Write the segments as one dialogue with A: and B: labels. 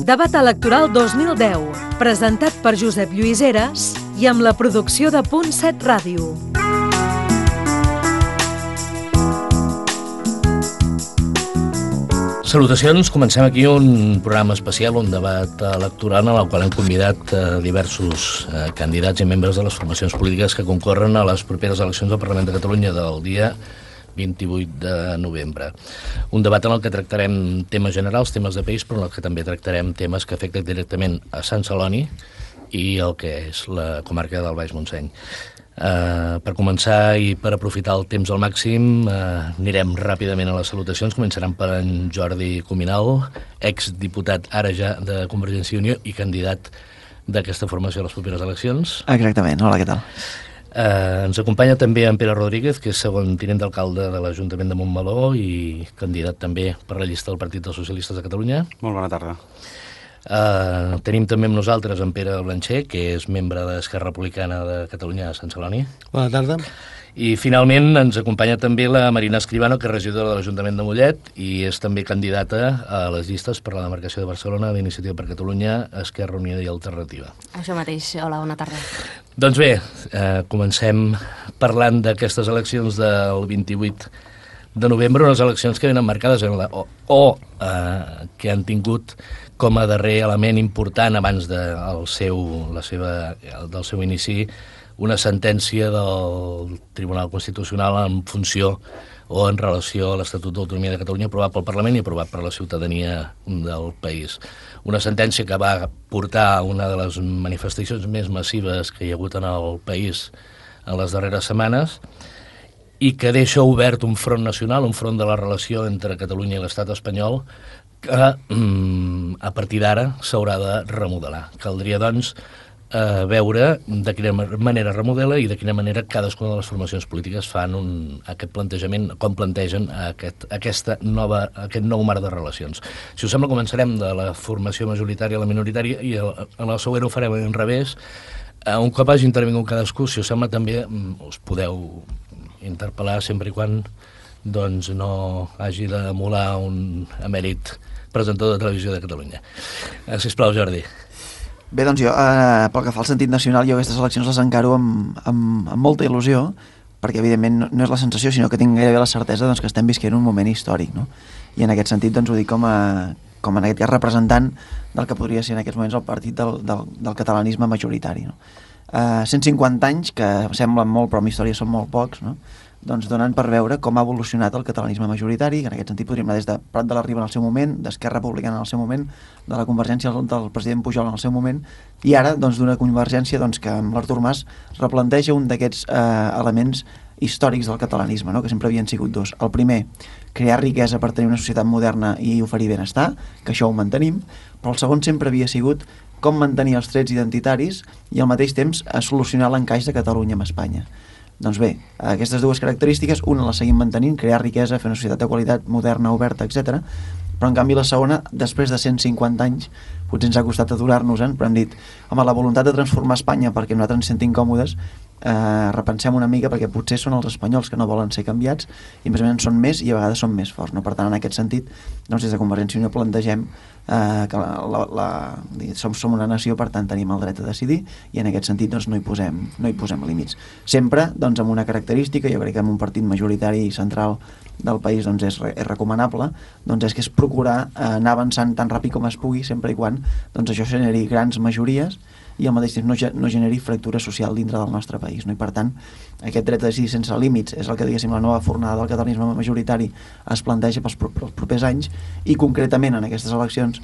A: Debat electoral 2010, presentat per Josep Lluís Heras i amb la producció de Punt 7 Ràdio.
B: Salutacions, comencem aquí un programa especial, un debat electoral en el qual hem convidat diversos candidats i membres de les formacions polítiques que concorren a les properes eleccions del Parlament de Catalunya del dia 28 de novembre. Un debat en el que tractarem temes generals, temes de país, però en el que també tractarem temes que afecten directament a Sant Celoni i el que és la comarca del Baix Montseny. Per començar i per aprofitar el temps al màxim, anirem ràpidament a les salutacions. Començarem per en Jordi Cuminal, exdiputat ara ja de Convergència i Unió i candidat d'aquesta formació a les properes eleccions.
C: Exactament, hola, què tal?
B: Ens acompanya també en Pere Rodríguez, que és segon tinent d'alcalde de l'Ajuntament de Montmeló i candidat també per la llista del Partit dels Socialistes de Catalunya.
D: Molt bona tarda.
B: Tenim també amb nosaltres en Pere Blancher, que és membre d'Esquerra Republicana de Catalunya a Sant Celoni.
E: Bona tarda.
B: I finalment ens acompanya també la Marina Escribano, que és regidora de l'Ajuntament de Mollet i és també candidata a les llistes per a la demarcació de Barcelona d'Iniciativa per Catalunya, Esquerra Unida i Alternativa.
F: Això mateix. Hola, bona tarda.
B: Doncs bé, comencem parlant d'aquestes eleccions del 28 de novembre, unes eleccions que venen marcades en que han tingut com a darrer element important abans del seu inici una sentència del Tribunal Constitucional en funció o en relació a l'Estatut d'Autonomia de Catalunya aprovat pel Parlament i aprovat per la ciutadania del país. Una sentència que va portar a una de les manifestacions més massives que hi ha hagut en el país en les darreres setmanes i que deixa obert un front nacional, un front de la relació entre Catalunya i l'Estat espanyol que a partir d'ara s'haurà de remodelar. Caldria, doncs, veure de quina manera remodela i de quina manera cadascuna de les formacions polítiques fan aquest plantejament, com plantegen aquest nou marc de relacions. Si us sembla, començarem de la formació majoritària a la minoritària i en el següent ho farem en revés. Un cop hagi intervingut cadascú, si us sembla, també us podeu interpel·lar sempre i quan doncs, no hagi d'emular un emèrit presentador de Televisió de Catalunya. Sisplau, Jordi.
C: Bé, doncs jo, pel que fa al sentit nacional, jo aquestes eleccions les encaro amb molta il·lusió, perquè evidentment no és la sensació, sinó que tinc gairebé la certesa doncs, que estem visquent un moment històric, no? I en aquest sentit doncs, ho dic com en aquest cas representant del que podria ser en aquests moments el partit del catalanisme majoritari, no? 150 anys, que semblen molt, però en història són molt pocs, no? Doncs donen per veure com ha evolucionat el catalanisme majoritari, que en aquest sentit podríem anar des de Prat de la Riba en el seu moment, d'Esquerra Republicana en el seu moment, de la Convergència del president Pujol en el seu moment, i ara doncs, d'una Convergència doncs, que amb l'Artur Mas replanteja un d'aquests elements històrics del catalanisme, no? Que sempre havien sigut dos. El primer, crear riquesa per tenir una societat moderna i oferir benestar, que això ho mantenim, però el segon sempre havia sigut com mantenir els trets identitaris i al mateix temps solucionar l'encaix de Catalunya amb Espanya. Doncs bé, aquestes dues característiques, una la seguim mantenint, crear riquesa, fer una societat de qualitat, moderna, oberta, etc. Però en canvi la segona, després de 150 anys, potser ens ha costat aturar-nos-en, però hem dit, home, la voluntat de transformar Espanya perquè nosaltres ens sentim còmodes, repensem una mica perquè potser són els espanyols que no volen ser canviats i més o menys són més i a vegades són més forts, no? Per tant, en aquest sentit, doncs, des de Convergència i Unió plantegem que som una nació, per tant tenim el dret a decidir i en aquest sentit doncs, no hi posem límits. Sempre doncs, amb una característica, jo crec que en un partit majoritari i central del país doncs, és recomanable, doncs és que és procurar anar avançant tan ràpid com es pugui, sempre i quan doncs, això generi grans majories i al mateix temps no generi fractura social dintre del nostre país, no? I per tant aquest dret a decidir sense límits és el que diguéssim la nova fornada del catalanisme majoritari es planteja pels propers anys i concretament en aquestes eleccions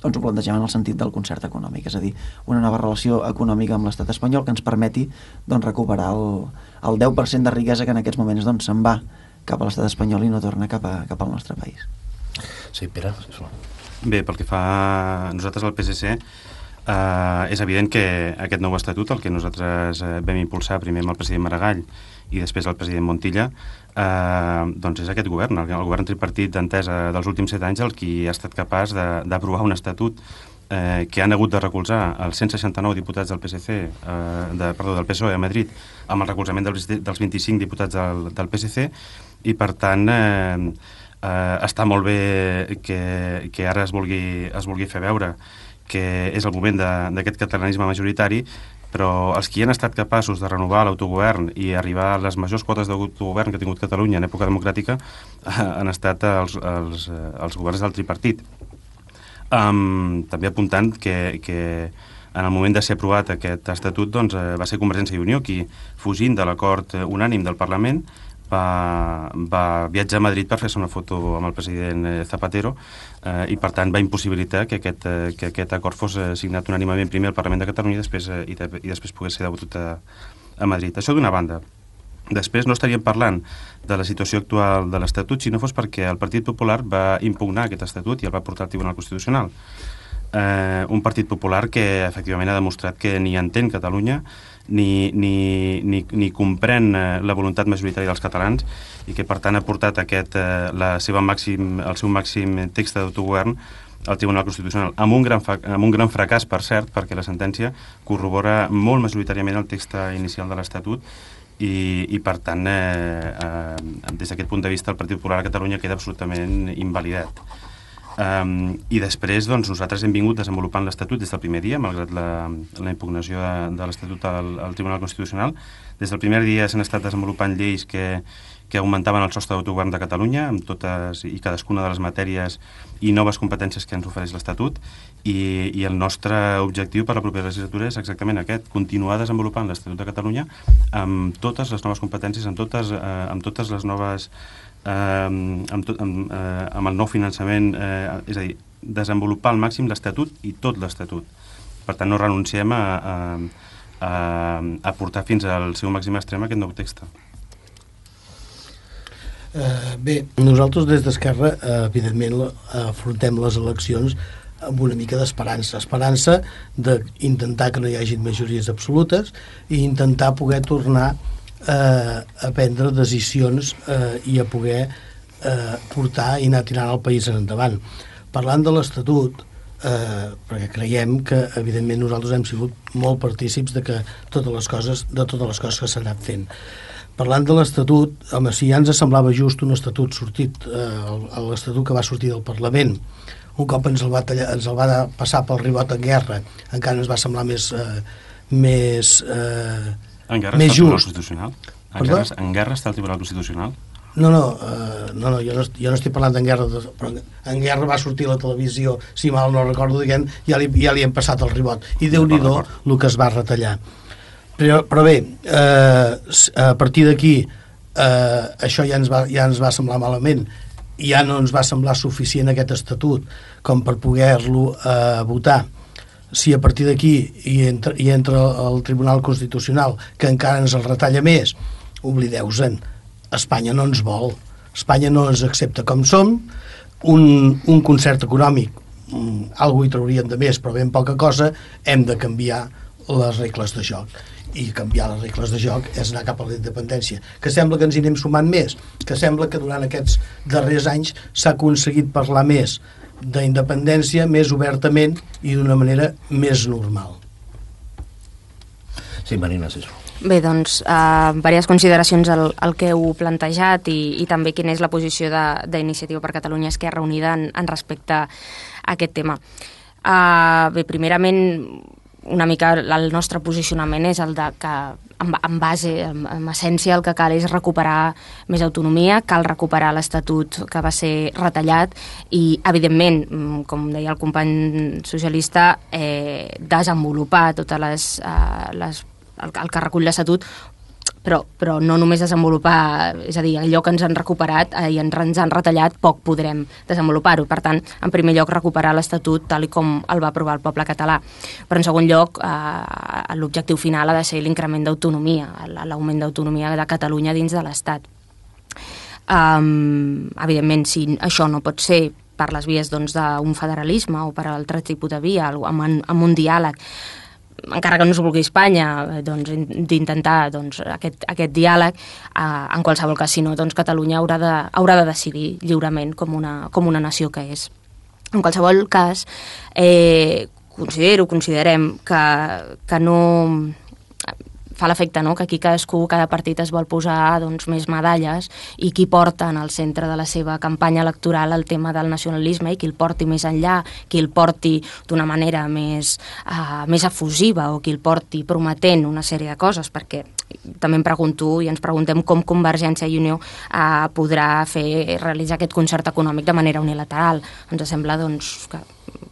C: doncs ho plantegem en el sentit del concert econòmic, és a dir, una nova relació econòmica amb l'estat espanyol que ens permeti doncs, recuperar el 10% de riquesa que en aquests moments doncs, se'n va cap a l'estat espanyol i no torna cap al nostre país.
B: Sí, Pere, sisplau.
D: Bé, pel que fa a nosaltres al PSC, és evident que aquest nou estatut, el que nosaltres vam impulsar primer amb el president Maragall i després el president Montilla, doncs és aquest govern, el govern tripartit d'entesa dels últims 7 anys el qui ha estat capaç d'aprovar un estatut que han hagut de recolzar els 169 diputats del del PSOE a Madrid amb el recolzament dels 25 diputats del PSC i per tant Està molt bé que ara es vulgui fer veure que és el moment d'aquest catalanisme majoritari, però els que han estat capaços de renovar l'autogovern i arribar a les majors quotes d'autogovern que ha tingut Catalunya en època democràtica han estat els governs del tripartit. També apuntant que en el moment de ser aprovat aquest estatut va ser Convergència i Unió qui, fugint de l'acord unànim del Parlament, va viatjar a Madrid per fer-se una foto amb el president Zapatero i per tant va impossibilitar que aquest acord fos signat unànimement primer al Parlament de Catalunya i després pogués ser debatut a Madrid. Això d'una banda. Després no estaríem parlant de la situació actual de l'Estatut si no fos perquè el Partit Popular va impugnar aquest Estatut i el va portar al Tribunal Constitucional. Un Partit Popular que efectivament ha demostrat que ni entén Catalunya ni comprèn la voluntat majoritària dels catalans i que per tant ha portat el seu màxim text d'autogovern al Tribunal Constitucional amb un gran fracàs, per cert, perquè la sentència corrobora molt majoritàriament el text inicial de l'Estatut i per tant des d'aquest punt de vista el Partit Popular a Catalunya queda absolutament invalidat. I després nosaltres hem vingut desenvolupant l'Estatut des del primer dia, malgrat la impugnació de l'Estatut al Tribunal Constitucional. Des del primer dia s'han estat desenvolupant lleis que augmentaven el sostre d'autogovern de Catalunya amb totes i cadascuna de les matèries i noves competències que ens ofereix l'Estatut i el nostre objectiu per la propera legislatura és exactament aquest, continuar desenvolupant l'Estatut de Catalunya amb totes les noves competències, amb totes les noves amb el nou finançament, és a dir, desenvolupar al màxim l'Estatut i tot l'Estatut. Per tant, no renunciem a portar fins al seu màxim extrem aquest nou text.
E: Bé, nosaltres des d'Esquerra evidentment afrontem les eleccions amb una mica d'esperança. Esperança d'intentar que no hi hagi majories absolutes i intentar poder tornar a prendre decisions i a poder portar i anar tirant el país endavant. Parlant de l'Estatut, perquè creiem que evidentment nosaltres hem sigut molt partícips de totes les coses que s'han anat fent. Parlant de l'Estatut, home, si ja ens semblava just un Estatut sortit, l'Estatut que va sortir del Parlament, un cop ens el va passar pel ribot en guerra, encara ens va semblar més
D: en guerra
E: més
D: està el Tribunal
E: just.
D: Constitucional? En guerra està el Tribunal Constitucional?
E: No, jo no estic parlant d'en guerra, però en guerra va sortir a la televisió, si mal no recordo, diguem, ja li hem passat el ribot. I Déu-n'hi-do el que es va retallar. Però bé, a partir d'aquí això ja ens va semblar malament, ja no ens va semblar suficient aquest estatut com per poder-lo votar. Si a partir d'aquí hi entra el Tribunal Constitucional, que encara ens el retalla més, oblideu-se'n, Espanya no ens vol, Espanya no ens accepta com som, un concert econòmic, algú hi traurien de més, però ben poca cosa, hem de canviar les regles de joc. I canviar les regles de joc és anar cap a la independència, que sembla que ens hi anem sumant més, que sembla que durant aquests darrers anys s'ha aconseguit parlar més d'independència més obertament i d'una manera més normal.
B: Sí, Marina, sí.
F: Bé, doncs, diverses consideracions al que heu plantejat i també quina és la posició d'Iniciativa per Catalunya Esquerra Unida en respecte a aquest tema. Bé, primerament, una mica el nostre posicionament és el de que en essència el que cal és recuperar més autonomia, cal recuperar l'Estatut que va ser retallat i, evidentment, com deia el company socialista, desenvolupar totes el que recull l'Estatut, però no només desenvolupar, és a dir, allò que ens han recuperat i ens han retallat, poc podrem desenvolupar-ho. Per tant, en primer lloc, recuperar l'Estatut tal com el va aprovar el poble català. Però en segon lloc, l'objectiu final ha de ser l'increment d'autonomia, l'augment d'autonomia de Catalunya dins de l'Estat. Evidentment, si això no pot ser per les vies d'un federalisme o per altre tipus de via, amb un diàleg, encara que no es vulgui Espanya, d'intentar aquest diàleg, en qualsevol cas, si no, Catalunya haurà de decidir lliurement com una nació que és. En qualsevol cas, considerem que no... fa l'efecte, no?, que aquí cada partit es vol posar doncs, més medalles i qui porta en el centre de la seva campanya electoral el tema del nacionalisme i qui el porti més enllà, qui el porti d'una manera més efusiva o qui el porti prometent una sèrie de coses, perquè també em pregunto i ens preguntem com Convergència i Unió podrà realitzar aquest concert econòmic de manera unilateral. Ens sembla doncs,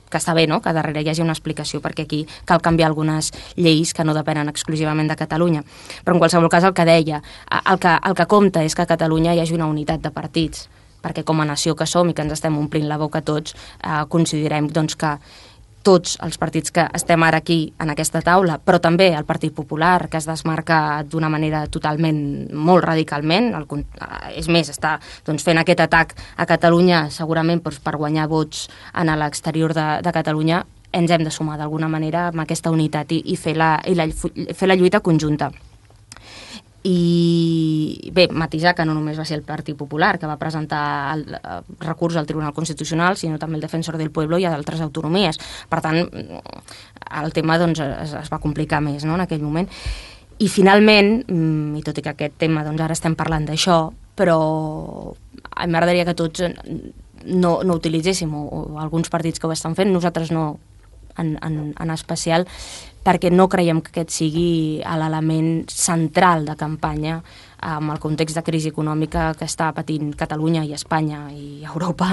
F: que està bé, no?, que darrere hi hagi una explicació, perquè aquí cal canviar algunes lleis que no depenen exclusivament de Catalunya. Però en qualsevol cas el que deia, el que compta és que a Catalunya hi hagi una unitat de partits, perquè com a nació que som i que ens estem omplint la boca tots, considerem doncs, que tots els partits que estem ara aquí en aquesta taula, però també el Partit Popular, que es desmarca d'una manera totalment, molt radicalment, és més, està doncs, fent aquest atac a Catalunya segurament per guanyar vots en l'exterior de Catalunya, ens hem de sumar d'alguna manera amb aquesta unitat i fer la lluita conjunta. I bé, matisar que no només va ser el Partit Popular que va presentar el recurs al Tribunal Constitucional, sinó també el Defensor del Pueblo i d'altres autonomies. Per tant, el tema doncs, es va complicar més, no?, en aquell moment. I finalment, i tot i que aquest tema doncs, ara estem parlant d'això, però m'agradaria que tots no utilitzéssim, o alguns partits que ho estan fent, nosaltres no en especial, perquè no creiem que aquest sigui l'element central de campanya amb el context de crisi econòmica que està patint Catalunya i Espanya i Europa,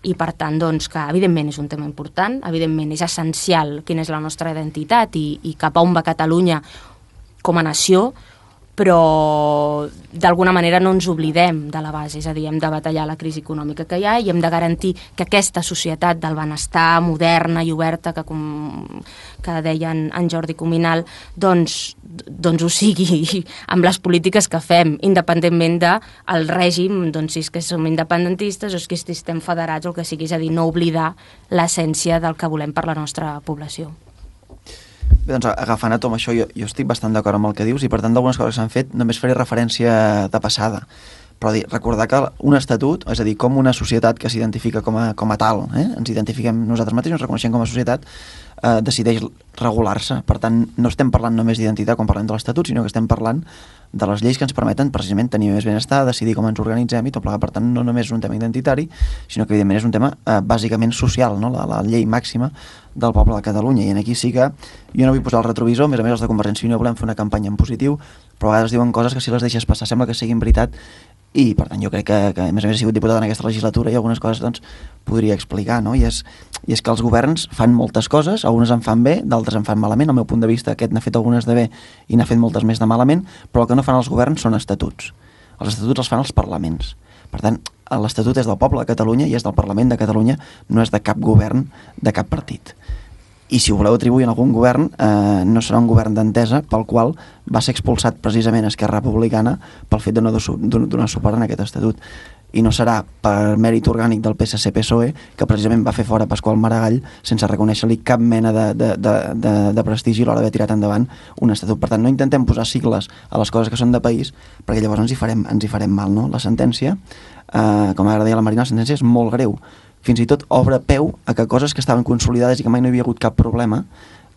F: i per tant doncs, que evidentment és un tema important, evidentment és essencial quina és la nostra identitat i cap a on va Catalunya com a nació, però d'alguna manera no ens oblidem de la base, és a dir, hem de batallar la crisi econòmica que hi ha i hem de garantir que aquesta societat del benestar moderna i oberta que deia en Jordi Cuminal doncs ho sigui amb les polítiques que fem, independentment del règim, doncs si és que som independentistes o si estem federats o el que sigui, és a dir, no oblidar l'essència del que volem per la nostra població.
C: Bé, doncs agafant a tot això, jo estic bastant d'acord amb el que dius i per tant d'algunes coses que s'han fet només faré referència de passada, però recordar que un estatut, és a dir, com una societat que s'identifica com a tal, ens identifiquem nosaltres mateixos, ens reconeixem com a societat, decideix regular-se. Per tant, no estem parlant només d'identitat quan parlem de l'Estatut, sinó que estem parlant de les lleis que ens permeten precisament tenir més benestar, decidir com ens organitzem i tot plegat. Per tant, no només és un tema identitari, sinó que evidentment és un tema bàsicament social, no? La llei màxima del poble de Catalunya. I aquí sí que jo no vull posar el retrovisor, a més els de Convergència i Unió volem fer una campanya en positiu, però a vegades diuen coses que si les deixes passar sembla que siguin veritat. I, per tant, jo crec que a més he sigut diputat en aquesta legislatura i algunes coses doncs, podria explicar, no? I és que els governs fan moltes coses, algunes en fan bé, d'altres en fan malament. Al meu punt de vista, aquest n'ha fet algunes de bé i n'ha fet moltes més de malament, però el que no fan els governs són estatuts. Els estatuts els fan els parlaments. Per tant, l'Estatut és del poble de Catalunya i és del Parlament de Catalunya, no és de cap govern, de cap partit. I si ho voleu atribuir a algun govern, no serà un govern d'entesa pel qual va ser expulsat precisament Esquerra Republicana pel fet de no donar suport en aquest estatut. I no serà per mèrit orgànic del PSC-PSOE, que precisament va fer fora Pasqual Maragall sense reconèixer-li cap mena de prestigi a l'hora d'haver tirat endavant un estatut. Per tant, no intentem posar sigles a les coses que són de país, perquè llavors ens hi farem mal, no? La sentència, com ara deia la Marina, la sentència és molt greu. Fins i tot obre peu a que coses que estaven consolidades i que mai no hi havia hagut cap problema,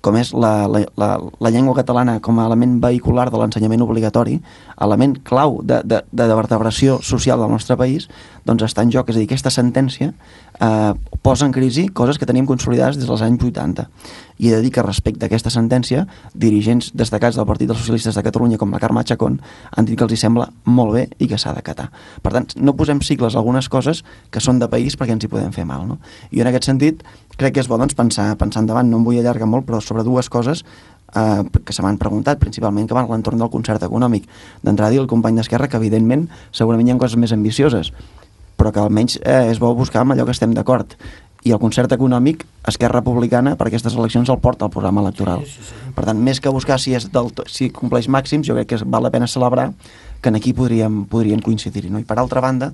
C: com és la llengua catalana com a element vehicular de l'ensenyament obligatori, element clau de vertebració social del nostre país, doncs està en joc. És a dir, aquesta sentència posa en crisi coses que teníem consolidades des dels anys 80. I he de dir que respecte a aquesta sentència, dirigents destacats del Partit dels Socialistes de Catalunya, com la Carme Chacón, han dit que els hi sembla molt bé i que s'ha d'acatar. Per tant, no posem sigles a algunes coses que són de país perquè ens hi podem fer mal, no? I en aquest sentit, crec que és bo doncs, pensar endavant. No em vull allargar molt, però sobre dues coses que se m'han preguntat, principalment que van a l'entorn del concert econòmic. D'entrada, dir al company d'Esquerra que, evidentment, segurament hi ha coses més ambicioses, però que almenys és bo buscar amb allò que estem d'acord. I el concert econòmic, Esquerra Republicana, per aquestes eleccions el porta al programa electoral. Sí. Per tant, més que buscar si compleix màxims, jo crec que val la pena celebrar que aquí podríem coincidir-hi, no? I per altra banda,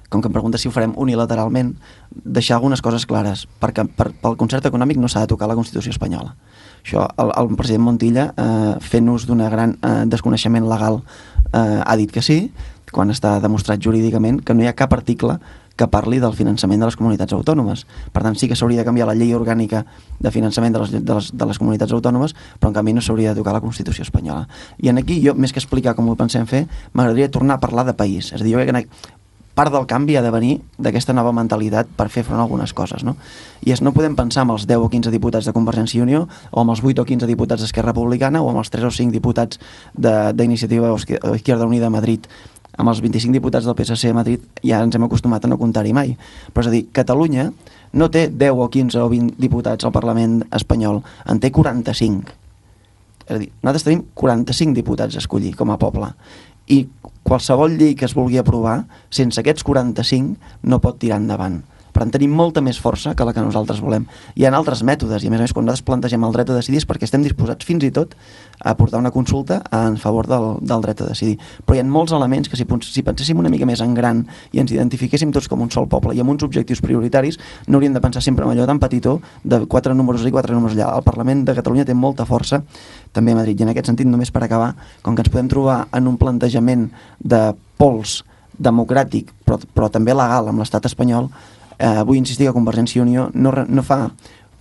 C: com que em pregunta si ho farem unilateralment, deixar algunes coses clares, perquè pel concert econòmic no s'ha de tocar la Constitució espanyola. Això, el president Montilla, fent ús d'un gran desconeixement legal, ha dit que sí, quan està demostrat jurídicament que no hi ha cap article que parli del finançament de les comunitats autònomes. Per tant, sí que s'hauria de canviar la llei orgànica de finançament de les comunitats autònomes, però en canvi no s'hauria de tocar la Constitució espanyola. I en aquí, jo, més que explicar com ho pensem fer, m'agradaria tornar a parlar de país. És a dir, jo crec que part del canvi ha de venir d'aquesta nova mentalitat per fer front a algunes coses, no? I no podem pensar amb els 10 o 15 diputats de Convergència i Unió, o amb els 8 o 15 diputats d'Esquerra Republicana, o amb els 3 o 5 diputats d'Iniciativa o Izquierda Unida a Madrid. Amb els 25 diputats del PSC a Madrid ja ens hem acostumat a no comptar-hi mai. Però és a dir, Catalunya no té 10 o 15 o 20 diputats al Parlament espanyol, en té 45. És a dir, nosaltres tenim 45 diputats a escollir com a poble. I qualsevol llei que es vulgui aprovar, sense aquests 45 no pot tirar endavant. Per tant, tenim molta més força que la que nosaltres volem. Hi ha altres mètodes, i a més, quan nosaltres plantegem el dret a decidir és perquè estem disposats fins i tot a portar una consulta en favor del dret a decidir. Però hi ha molts elements que si penséssim una mica més en gran i ens identifiquéssim tots com un sol poble i amb uns objectius prioritaris, no hauríem de pensar sempre en allò tan petitó de 4 números i 4 números allà. El Parlament de Catalunya té molta força, també a Madrid. I en aquest sentit, només per acabar, com que ens podem trobar en un plantejament de pols democràtic, però també legal amb l'estat espanyol, vull insistir que Convergència i Unió no fa,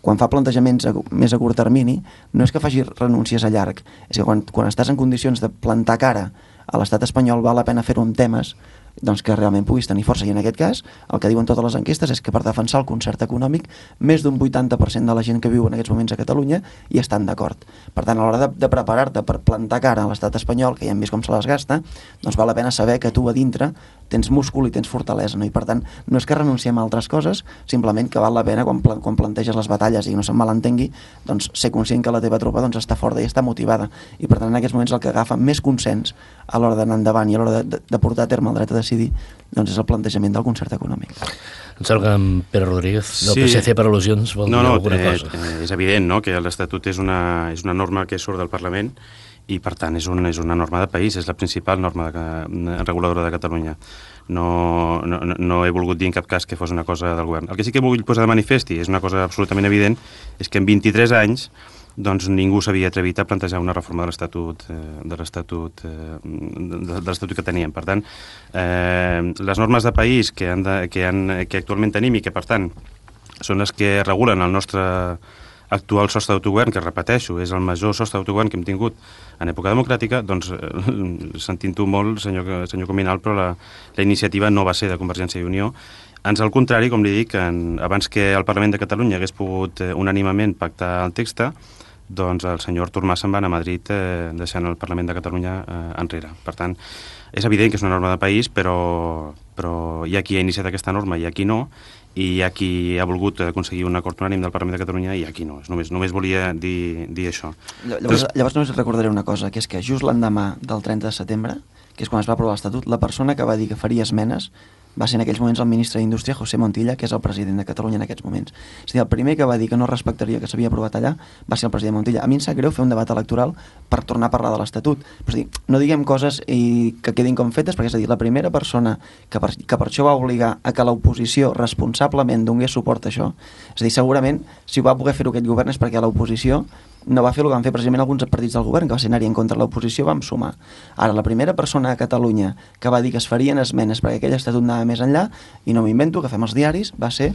C: quan fa plantejaments més a curt termini, no és que faci renúncies a llarg, és que quan estàs en condicions de plantar cara a l'estat espanyol val la pena fer-ho amb temes doncs que realment puguis tenir força. I en aquest cas, el que diuen totes les enquestes és que per defensar el concert econòmic, més d'un 80% de la gent que viu en aquests moments a Catalunya hi estan d'acord. Per tant, a l'hora de preparar-te per plantar cara a l'estat espanyol, que ja hem vist com se les gasta, doncs val la pena saber que tu a dintre tens múscul i tens fortalesa, no? I per tant, no és que renunciem a altres coses, simplement que val la pena quan planteges les batalles i no se'n malentengui, doncs ser conscient que la teva tropa doncs, està forta i està motivada. I per tant, en aquests moments el que agafa més consens a l'hora d'anar endavant i a l'hora de portar a terme el dret a decidir, doncs és el plantejament del concert econòmic.
B: Em sembla que en Pere Rodríguez, del PSC per al·lusions, vol dir alguna cosa.
D: És evident, no?, que l'Estatut és una norma que surt del Parlament i, per tant, és una norma de país, és la principal norma reguladora de Catalunya. No he volgut dir en cap cas que fos una cosa del govern. El que sí que vull posar de manifest, i és una cosa absolutament evident, és que en 23 anys doncs ningú s'havia atrevit a plantejar una reforma de l'Estatut que teníem. Per tant, les normes de país que actualment tenim i que, per tant, són les que regulen el nostre actual sostre d'autogovern, que, repeteixo, és el major sostre d'autogovern que hem tingut en època democràtica, doncs, sentint-ho molt, senyor Cominal, però la iniciativa no va ser de Convergència i Unió. Ans al contrari, com li dic, abans que el Parlament de Catalunya hagués pogut unànimement pactar el text, doncs el senyor Artur Mas se'n va anar a Madrid deixant el Parlament de Catalunya enrere. Per tant, és evident que és una norma de país, però hi ha qui ha iniciat aquesta norma i hi ha qui no, i hi ha qui ha volgut aconseguir un acord unànim del Parlament de Catalunya i hi ha qui no. Només volia dir això.
C: Llavors només recordaré una cosa, que és que just l'endemà del 30 de setembre, que és quan es va aprovar l'Estatut, la persona que va dir que faria esmenes va ser en aquells moments el ministre d'Indústria, José Montilla, que és el president de Catalunya en aquests moments. És a dir, el primer que va dir que no respectaria que s'havia aprovat allà va ser el president Montilla. A mi em sap greu fer un debat electoral per tornar a parlar de l'Estatut. És a dir, no diguem coses que quedin com fetes, perquè és a dir, la primera persona que per això va obligar a que l'oposició responsablement donés suport a això, és a dir, segurament, si ho va poder fer-ho aquest govern és perquè l'oposició no va fer el que van fer precisament alguns partits del govern, que va ser anar-hi en contra de l'oposició, vam sumar. Ara, la primera persona a Catalunya que va dir que es farien esmenes perquè aquell estatut anava més enllà, i no m'invento, que fem els diaris, va ser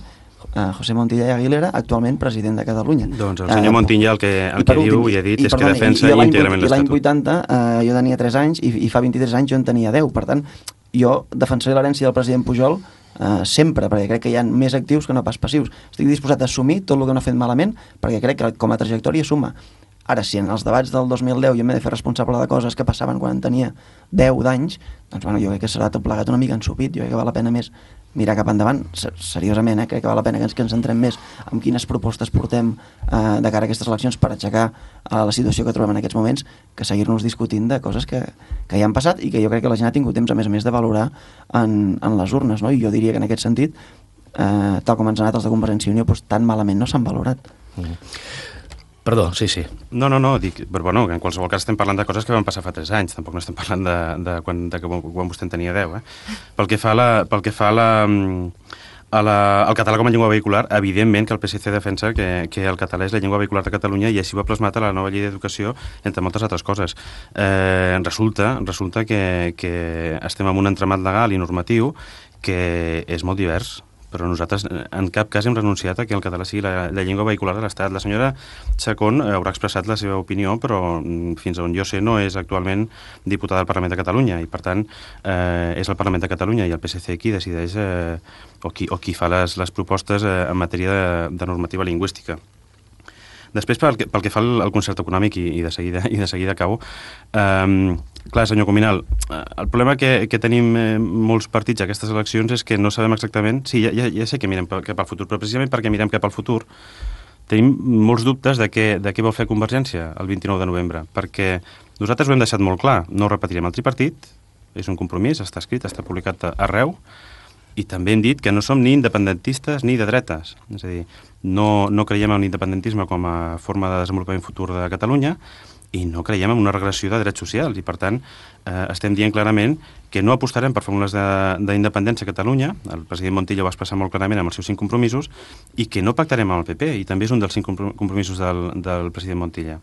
C: José Montilla i Aguilera, actualment president de Catalunya.
D: Doncs el senyor Montilla el que diu i ha dit és que defensa íntegrament l'Estatut.
C: I l'any 80 jo tenia 3 anys i fa 23 anys jo en tenia 10. Per tant, jo defensaré l'herència del president Pujol sempre, perquè crec que hi ha més actius que no pas passius. Estic disposat a assumir tot el que no ha fet malament, perquè crec que com a trajectòria suma. Ara, si en els debats del 2010 jo m'he de fer responsable de coses que passaven quan en tenia 10 d'anys, doncs bueno, jo crec que serà tot plegat una mica ensupit. Jo crec que val la pena més mirar cap endavant, seriosament, crec que val la pena que ens centrem més en quines propostes portem de cara a aquestes eleccions per aixecar la situació que trobem en aquests moments, que seguir-nos discutint de coses que ja han passat i que jo crec que la gent ha tingut temps, a més de valorar en les urnes, no? I jo diria que en aquest sentit, tal com ens han anat els de Convergència i Unió, doncs tan malament no s'han valorat.
B: Perdó, sí.
D: No, dic, però bueno, en qualsevol cas estem parlant de coses que van passar fa 3 anys, tampoc no estem parlant de quan vostè en tenia 10, Pel que fa al català com a llengua vehicular, evidentment que el PSC defensa que el català és la llengua vehicular de Catalunya i així ho ha plasmat a la nova llei d'educació, entre moltes altres coses. Resulta que estem en un entramat legal i normatiu que és molt divers, però nosaltres en cap cas hem renunciat a que el català sigui la llengua vehicular de l'Estat. La senyora Chacón haurà expressat la seva opinió, però fins on jo sé no és actualment diputada del Parlament de Catalunya, i per tant és el Parlament de Catalunya i el PSC qui decideix o qui fa les propostes en matèria de normativa lingüística. Després, pel que fa al concert econòmic, i de seguida acabo, clar, senyor Cuminal, el problema que tenim molts partits a aquestes eleccions és que no sabem exactament... Sí, ja sé que mirem cap al futur, però precisament perquè mirem cap al futur tenim molts dubtes de què vol fer Convergència el 29 de novembre, perquè nosaltres ho hem deixat molt clar, no repetirem el tripartit, és un compromís, està escrit, està publicat arreu, i també hem dit que no som ni independentistes ni de dretes. És a dir, no creiem en l'independentisme com a forma de desenvolupament futur de Catalunya i no creiem en una regressió de drets socials. I, per tant, estem dient clarament que no apostarem per fórmules d'independència a Catalunya, el president Montilla ho va expressar molt clarament amb els seus 5 compromisos, i que no pactarem amb el PP, i també és un dels 5 compromisos del president Montilla.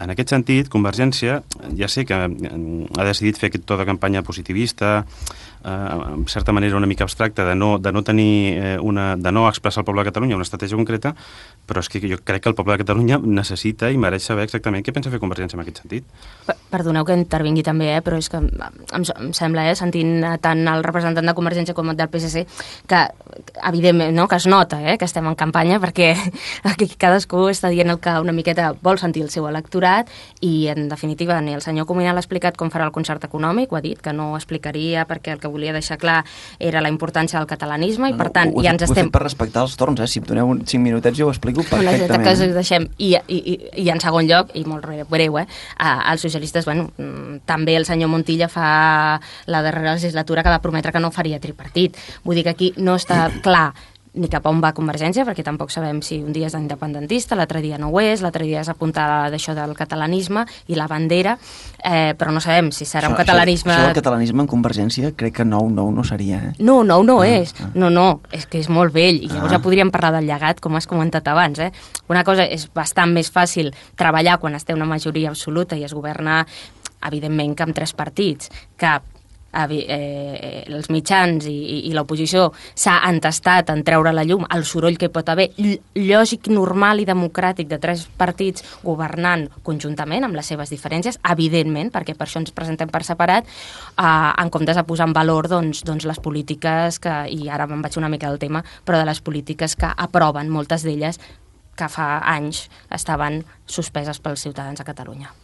D: En aquest sentit, Convergència ja sé que ha decidit fer aquest to de campanya positivista, en certa manera una mica abstracta, de no expressar al poble de Catalunya una estratègia concreta, però és que jo crec que el poble de Catalunya necessita i mereix saber exactament què pensa fer Convergència en aquest sentit.
F: Perdoneu que intervingui també, però és que em sembla, sentint tant el representant de Convergència com el del PSC, que evidentment que es nota que estem en campanya, perquè aquí cadascú està dient el que una miqueta vol sentir el seu electorat, i en definitiva ni el senyor Cuminal ha explicat com farà el concert econòmic, ho ha dit, que no ho explicaria perquè el que volia deixar clar era la importància del catalanisme, i per tant ja ens estem...
C: Ho he fet per respectar els torns, si em doneu 5 minutets jo ho explico perfectament.
F: Que us deixem. I en segon lloc, i molt breu, els socialistes, també el senyor Montilla fa la darrera legislatura que va prometre que no faria tripartit. Vull dir que aquí no està clar ni cap on va Convergència, perquè tampoc sabem si un dia és independentista, l'altre dia no ho és, l'altre dia és apuntar d'això del catalanisme i la bandera, però no sabem si serà un catalanisme...
C: Això del catalanisme en Convergència crec que nou no seria,
F: No és. No, és que és molt vell, i llavors ja podríem parlar del llegat, com has comentat abans, Una cosa és bastant més fàcil treballar quan es té una majoria absoluta i es governa, evidentment, que amb 3 partits, que els mitjans i l'oposició s'ha entestat en treure a la llum el soroll que pot haver lògic, normal i democràtic de 3 partits governant conjuntament amb les seves diferències, evidentment, perquè per això ens presentem per separat, en comptes de posar en valor doncs les polítiques que, i ara me'n vaig una mica del tema, però de les polítiques que aproven, moltes d'elles que fa anys estaven suspeses pels ciutadans de Catalunya.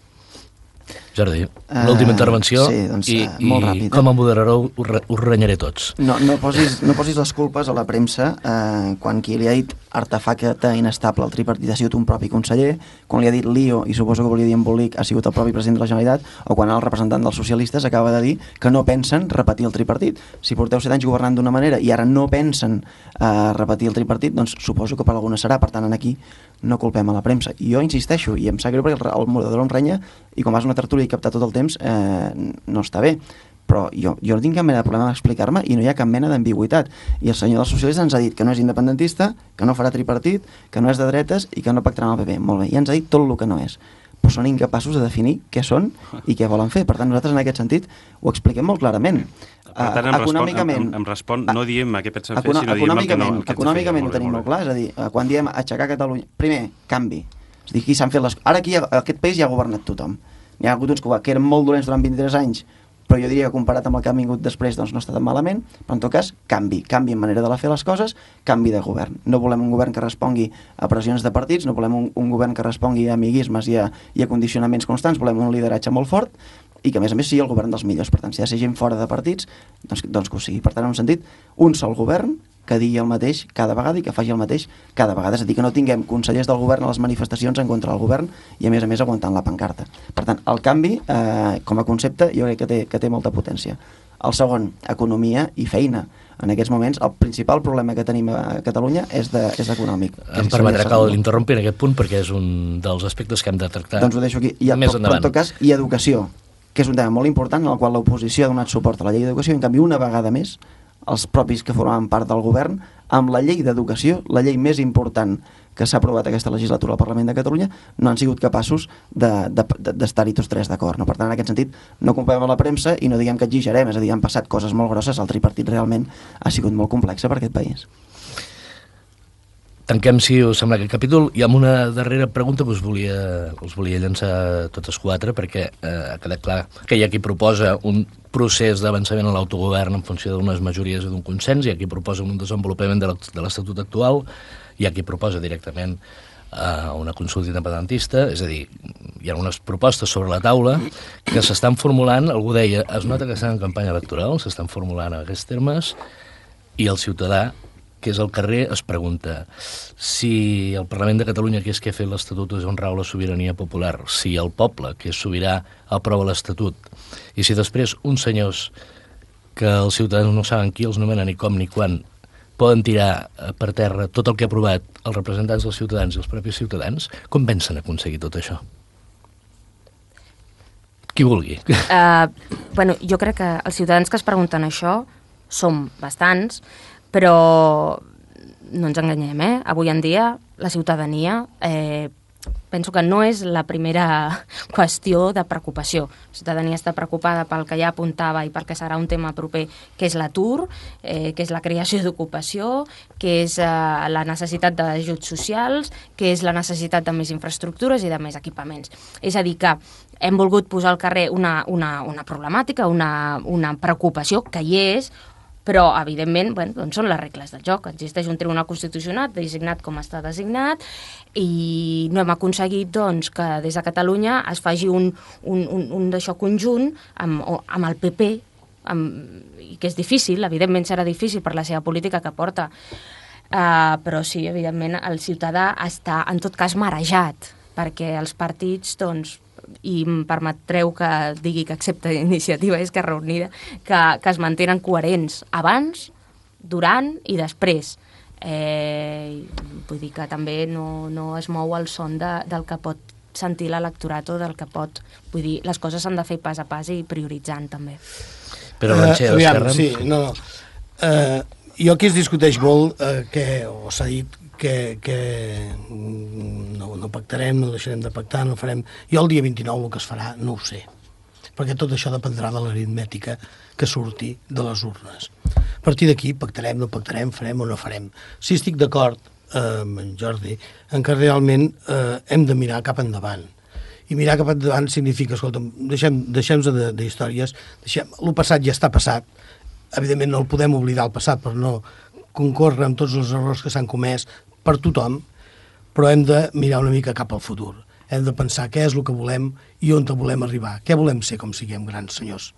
B: Jordi, l'última intervenció,
C: sí, doncs,
B: i
C: molt ràpid,
B: com a moderador us renyaré tots.
C: No posis les culpes a la premsa quan qui li ha dit artefacte inestable al tripartit ha sigut un propi conseller, quan li ha dit lío i suposo que volia dir embolic ha sigut el propi president de la Generalitat, o quan el representant dels socialistes acaba de dir que no pensen repetir el tripartit. Si porteu 7 anys governant d'una manera i ara no pensen repetir el tripartit, doncs suposo que per alguna serà. Per tant, aquí no culpem a la premsa. I jo insisteixo, i em sap greu perquè el moderador em renya, i com vas una tertúlia i captar tot el temps, no està bé. Però jo no tinc cap mena de problema d'explicar-me i no hi ha cap mena d'ambigüitat. I el senyor dels socialistes ens ha dit que no és independentista, que no farà tripartit, que no és de dretes i que no pactarà amb el PP. Molt bé, ja ens ha dit tot el que no és. Però són incapaços de definir què són i què volen fer. Per tant, nosaltres en aquest sentit ho expliquem molt clarament.
D: Per tant, em respon, no diem a què pensen fer, sinó diem el que no.
C: Econòmicament ho tenim molt clar, és a dir, quan diem aixecar Catalunya... Primer, canvi. És a dir, aquí s'han fet les... Ara aquí, aquest país ja ha governat tothom. Hi ha hagut uns que eren molt dolents durant 23 anys, però jo diria que comparat amb el que ha vingut després doncs no està tan malament, però en tot cas canvi en manera de fer les coses, canvi de govern. No volem un govern que respongui a pressions de partits, no volem un govern que respongui a amiguismes i a condicionaments constants, volem un lideratge molt fort i que a més sigui el govern dels millors. Per tant, si ha de ser gent fora de partits, doncs que ho sigui. Per tant, en un sentit, un sol govern que digui el mateix cada vegada i que faci el mateix cada vegada. És a dir, que no tinguem consellers del govern a les manifestacions en contra del govern i a més aguantant la pancarta. Per tant, el canvi, com a concepte, jo crec que té molta potència. El segon, economia i feina. En aquests moments, el principal problema que tenim a Catalunya és econòmic.
B: Em permetrà que l'interrompi en aquest punt perquè és un dels aspectes que hem de tractar
C: doncs ho deixo aquí.
B: Més endavant.
C: Però en tot cas, i educació, que és un tema molt important en el qual l'oposició ha donat suport a la llei d'educació i en canvi una vegada més els propis que formaven part del govern, amb la llei d'educació, la llei més important que s'ha aprovat aquesta legislatura al Parlament de Catalunya, no han sigut capaços d'estar-hi tots tres d'acord. No? Per tant, en aquest sentit, no comparem amb la premsa i no diguem que exagerem, és a dir, han passat coses molt grosses, el tripartit realment ha sigut molt complexa per aquest país.
B: Tanquem, si us sembla, aquest capítol, i amb una darrera pregunta que us volia llançar totes quatre, perquè ha quedat clar que hi ha qui proposa un procés d'avançament en l'autogovern en funció d'unes majories i d'un consens, hi ha qui proposa un desenvolupament de l'Estatut actual, hi ha qui proposa directament una consulta independentista, és a dir, hi ha unes propostes sobre la taula que s'estan formulant, algú deia, es nota que estan en campanya electoral, s'estan formulant en aquests termes, i el ciutadà, que és al carrer, es pregunta si el Parlament de Catalunya, que és qui ha fet l'Estatut, és on rau la sobirania popular, si el poble, que és sobirà, aprova l'Estatut, i si després uns senyors que els ciutadans no saben qui els nomena ni com ni quan, poden tirar per terra tot el que ha aprovat els representants dels ciutadans i els propis ciutadans, com pensen aconseguir tot això? Qui vulgui.
F: Bueno, jo crec que els ciutadans que es pregunten això som bastants, però no ens enganyem, avui en dia la ciutadania penso que no és la primera qüestió de preocupació. La ciutadania està preocupada pel que ja apuntava i pel que serà un tema proper, que és l'atur, que és la creació d'ocupació, que és la necessitat d'ajuts socials, que és la necessitat de més infraestructures i de més equipaments. És a dir, que hem volgut posar al carrer una problemàtica, una preocupació que hi és, però, evidentment, doncs són les regles del joc. Existeix un Tribunal Constitucional designat com està designat i no hem aconseguit doncs, que des de Catalunya es faci un d'això conjunt amb el PP, i que és difícil, evidentment serà difícil per la seva política que porta, però sí, evidentment, el ciutadà està, en tot cas, marejat, perquè els partits, doncs, i em permetreu que digui que accepta Iniciativa i Esquerra Unida, que es mantenen coherents abans, durant i després. Vull dir que també no es mou el son del que pot sentir l'electorat o del que pot... Vull dir, les coses s'han de fer pas a pas i prioritzant, també.
B: Però
E: aviam, sí, no. Jo aquí es discuteix molt o s'ha dit que no pactarem, no deixarem de pactar, no farem... Jo el dia 29 el que es farà no ho sé, perquè tot això dependrà de l'aritmètica que surti de les urnes. A partir d'aquí pactarem, no pactarem, farem o no farem. Si estic d'acord amb en Jordi en que realment hem de mirar cap endavant. I mirar cap endavant significa, escolta'm, deixem-nos d'històries, el passat ja està passat, evidentment no el podem oblidar el passat per no concórrer amb tots els errors que s'han comès per tothom, però hem de mirar una mica cap al futur. Hem de pensar què és el que volem i on volem arribar, què volem ser com siguem grans senyors.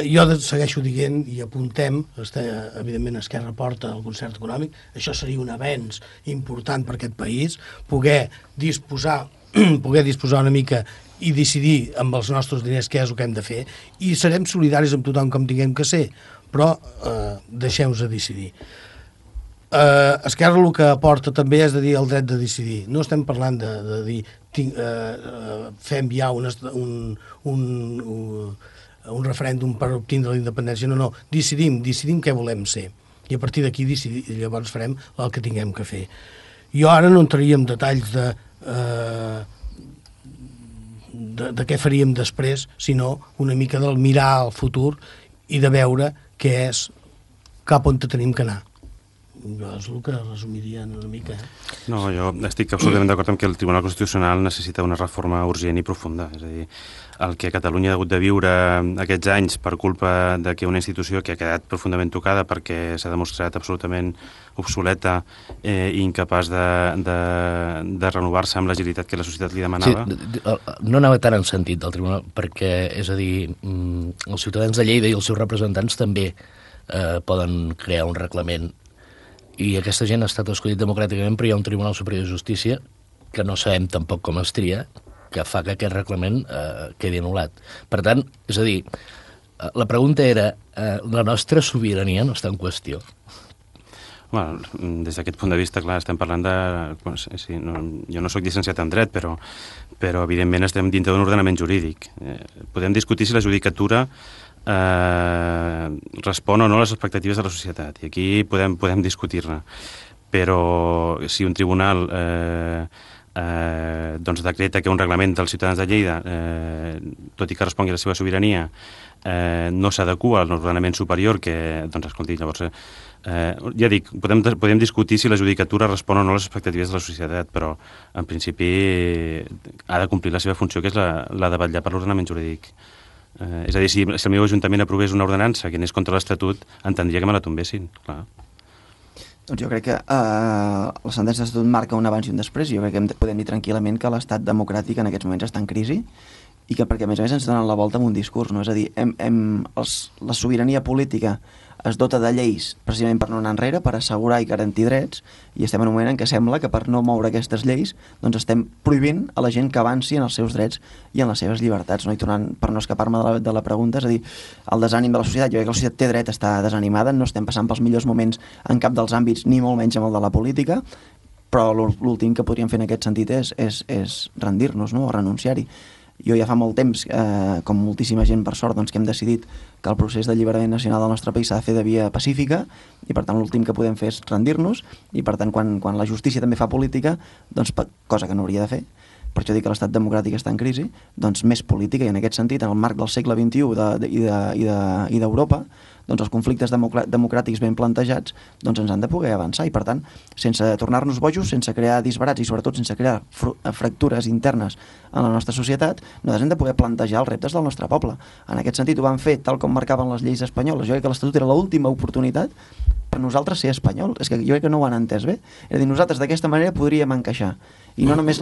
E: Jo segueixo dient i apuntem, evidentment Esquerra porta el concert econòmic, això seria un avenç important per aquest país, poder disposar una mica i decidir amb els nostres diners què és el que hem de fer, i serem solidaris amb tothom com tinguem que ser, però deixem-nos de decidir. Esquerra el que aporta també és de dir el dret de decidir. No estem parlant de dir fem ja un referèndum per obtindre la independència, no, decidim què volem ser, i a partir d'aquí llavors farem el que tinguem que fer. Jo ara no entraria en detalls de què faríem després, sinó una mica del mirar al futur i de veure què és cap on tenim que anar. Jo és el que resumiria una mica.
D: No, jo estic absolutament d'acord amb que el Tribunal Constitucional necessita una reforma urgent i profunda. És a dir, el que Catalunya ha hagut de viure aquests anys per culpa de que una institució que ha quedat profundament tocada perquè s'ha demostrat absolutament obsoleta i incapaç de renovar-se amb l'agilitat que la societat li demanava.
B: Sí, no anava tant en sentit del Tribunal, perquè, és a dir, els ciutadans de Lleida i els seus representants també poden crear un reglament, i aquesta gent ha estat escollit democràticament, però hi ha un Tribunal Superior de Justícia que no sabem tampoc com es tria, que fa que aquest reglament quedi anul·lat. Per tant, és a dir, la pregunta era, la nostra sobirania no està en qüestió?
D: Bueno, des d'aquest punt de vista, clar, estem parlant de... Sí, jo no soc llicenciat en dret, però evidentment estem dintre d'un ordenament jurídic. Podem discutir si la judicatura respon o no a les expectatives de la societat. I aquí podem discutir-ne. Però si un tribunal doncs decreta que un reglament dels ciutadans de Lleida, tot i que respongui a la seva sobirania, no s'adequa a l'ordenament superior, que, doncs, escolti, llavors, ja dic, podem discutir si la judicatura respon o no a les expectatives de la societat, però, en principi, ha de complir la seva funció, que és la de vetllar per l'ordenament jurídic. És a dir, si el meu ajuntament aprovés una ordenança que anés contra l'Estatut, entendria que me la tombessin, clar.
C: Doncs jo crec que la sentència de l'Estatut marca un abans i un després. Jo crec que podem dir tranquil·lament que l'estat democràtic en aquests moments està en crisi i que perquè a més ens donen la volta amb un discurs, no? És a dir, la sobirania política es dota de lleis precisament per no anar enrere, per assegurar i garantir drets, i estem en un moment en què sembla que per no moure aquestes lleis doncs estem prohibint a la gent que avanci en els seus drets i en les seves llibertats, no? I tornant, per no escapar-me de la pregunta, és a dir, el desànim de la societat, jo crec que la societat té dret a estar desanimada, no estem passant pels millors moments en cap dels àmbits, ni molt menys amb el de la política, però l'últim que podríem fer en aquest sentit és rendir-nos, no? O renunciar-hi. Jo ja fa molt temps, com moltíssima gent per sort, doncs, que hem decidit que el procés d'alliberament nacional del nostre país s'ha de fer de via pacífica i per tant l'últim que podem fer és rendir-nos i per tant quan la justícia també fa política, doncs, cosa que no hauria de fer, per això dic que l'estat democràtic està en crisi, doncs més política, i en aquest sentit, en el marc del segle XXI i d'Europa, doncs els conflictes democràtics ben plantejats doncs ens han de poder avançar i per tant, sense tornar-nos bojos, sense crear disbarats i sobretot sense crear fractures internes en la nostra societat, nosaltres hem de poder plantejar els reptes del nostre poble. En aquest sentit ho van fer tal com marcaven les lleis espanyoles. Jo crec que l'Estatut era l'última oportunitat per nosaltres ser espanyol. És que jo crec que no ho han entès bé. És a dir, nosaltres d'aquesta manera podríem encaixar. I no només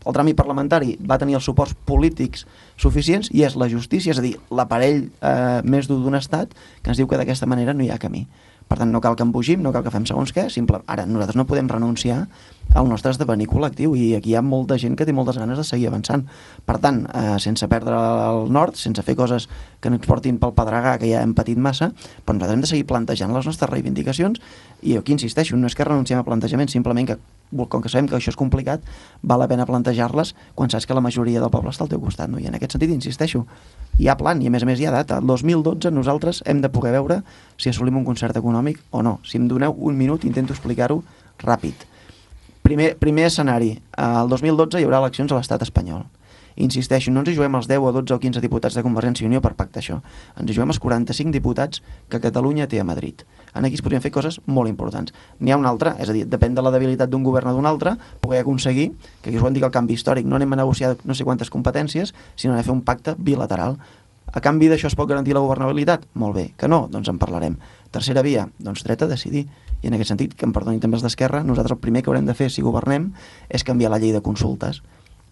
C: el tràmit parlamentari va tenir els suports polítics suficients i és la justícia, és a dir, l'aparell més dur d'un estat que ens diu que d'aquesta manera no hi ha camí. Per tant, no cal que embogim, no cal que fem segons què, ara nosaltres no podem renunciar al nostre esdevenir col·lectiu i aquí hi ha molta gent que té moltes ganes de seguir avançant. Per tant, sense perdre el nord, sense fer coses que ens portin pel pedregar, que ja hem patit massa, però nosaltres hem de seguir plantejant les nostres reivindicacions i jo aquí insisteixo, no és que renunciem a plantejament, simplement que com que sabem que això és complicat, val la pena plantejar-les quan saps que la majoria del poble està al teu costat, no? I en aquest sentit, insisteixo, hi ha plan i a més hi ha data. El 2012 nosaltres hem de poder veure si assolim un concert econòmic o no. Si em doneu un minut intento explicar-ho ràpid. Primer escenari, el 2012 hi haurà eleccions a l'estat espanyol. Insisteixo, no ens hi juguem els 10 o 12 o 15 diputats de Convergència i Unió per pactar això. Ens hi juguem els 45 diputats que Catalunya té a Madrid. Aquí es podrien fer coses molt importants. N'hi ha una altra, és a dir, depèn de la debilitat d'un govern o d'un altre, poder aconseguir, que aquí us ho hem dit el canvi històric, no anem a negociar no sé quantes competències, sinó anem a fer un pacte bilateral. A canvi d'això es pot garantir la governabilitat? Molt bé. Que no? Doncs en parlarem. Tercera via, doncs dret a decidir. I en aquest sentit, que em perdonin també els d'Esquerra, nosaltres el primer que haurem de fer si governem és canviar la llei de consultes,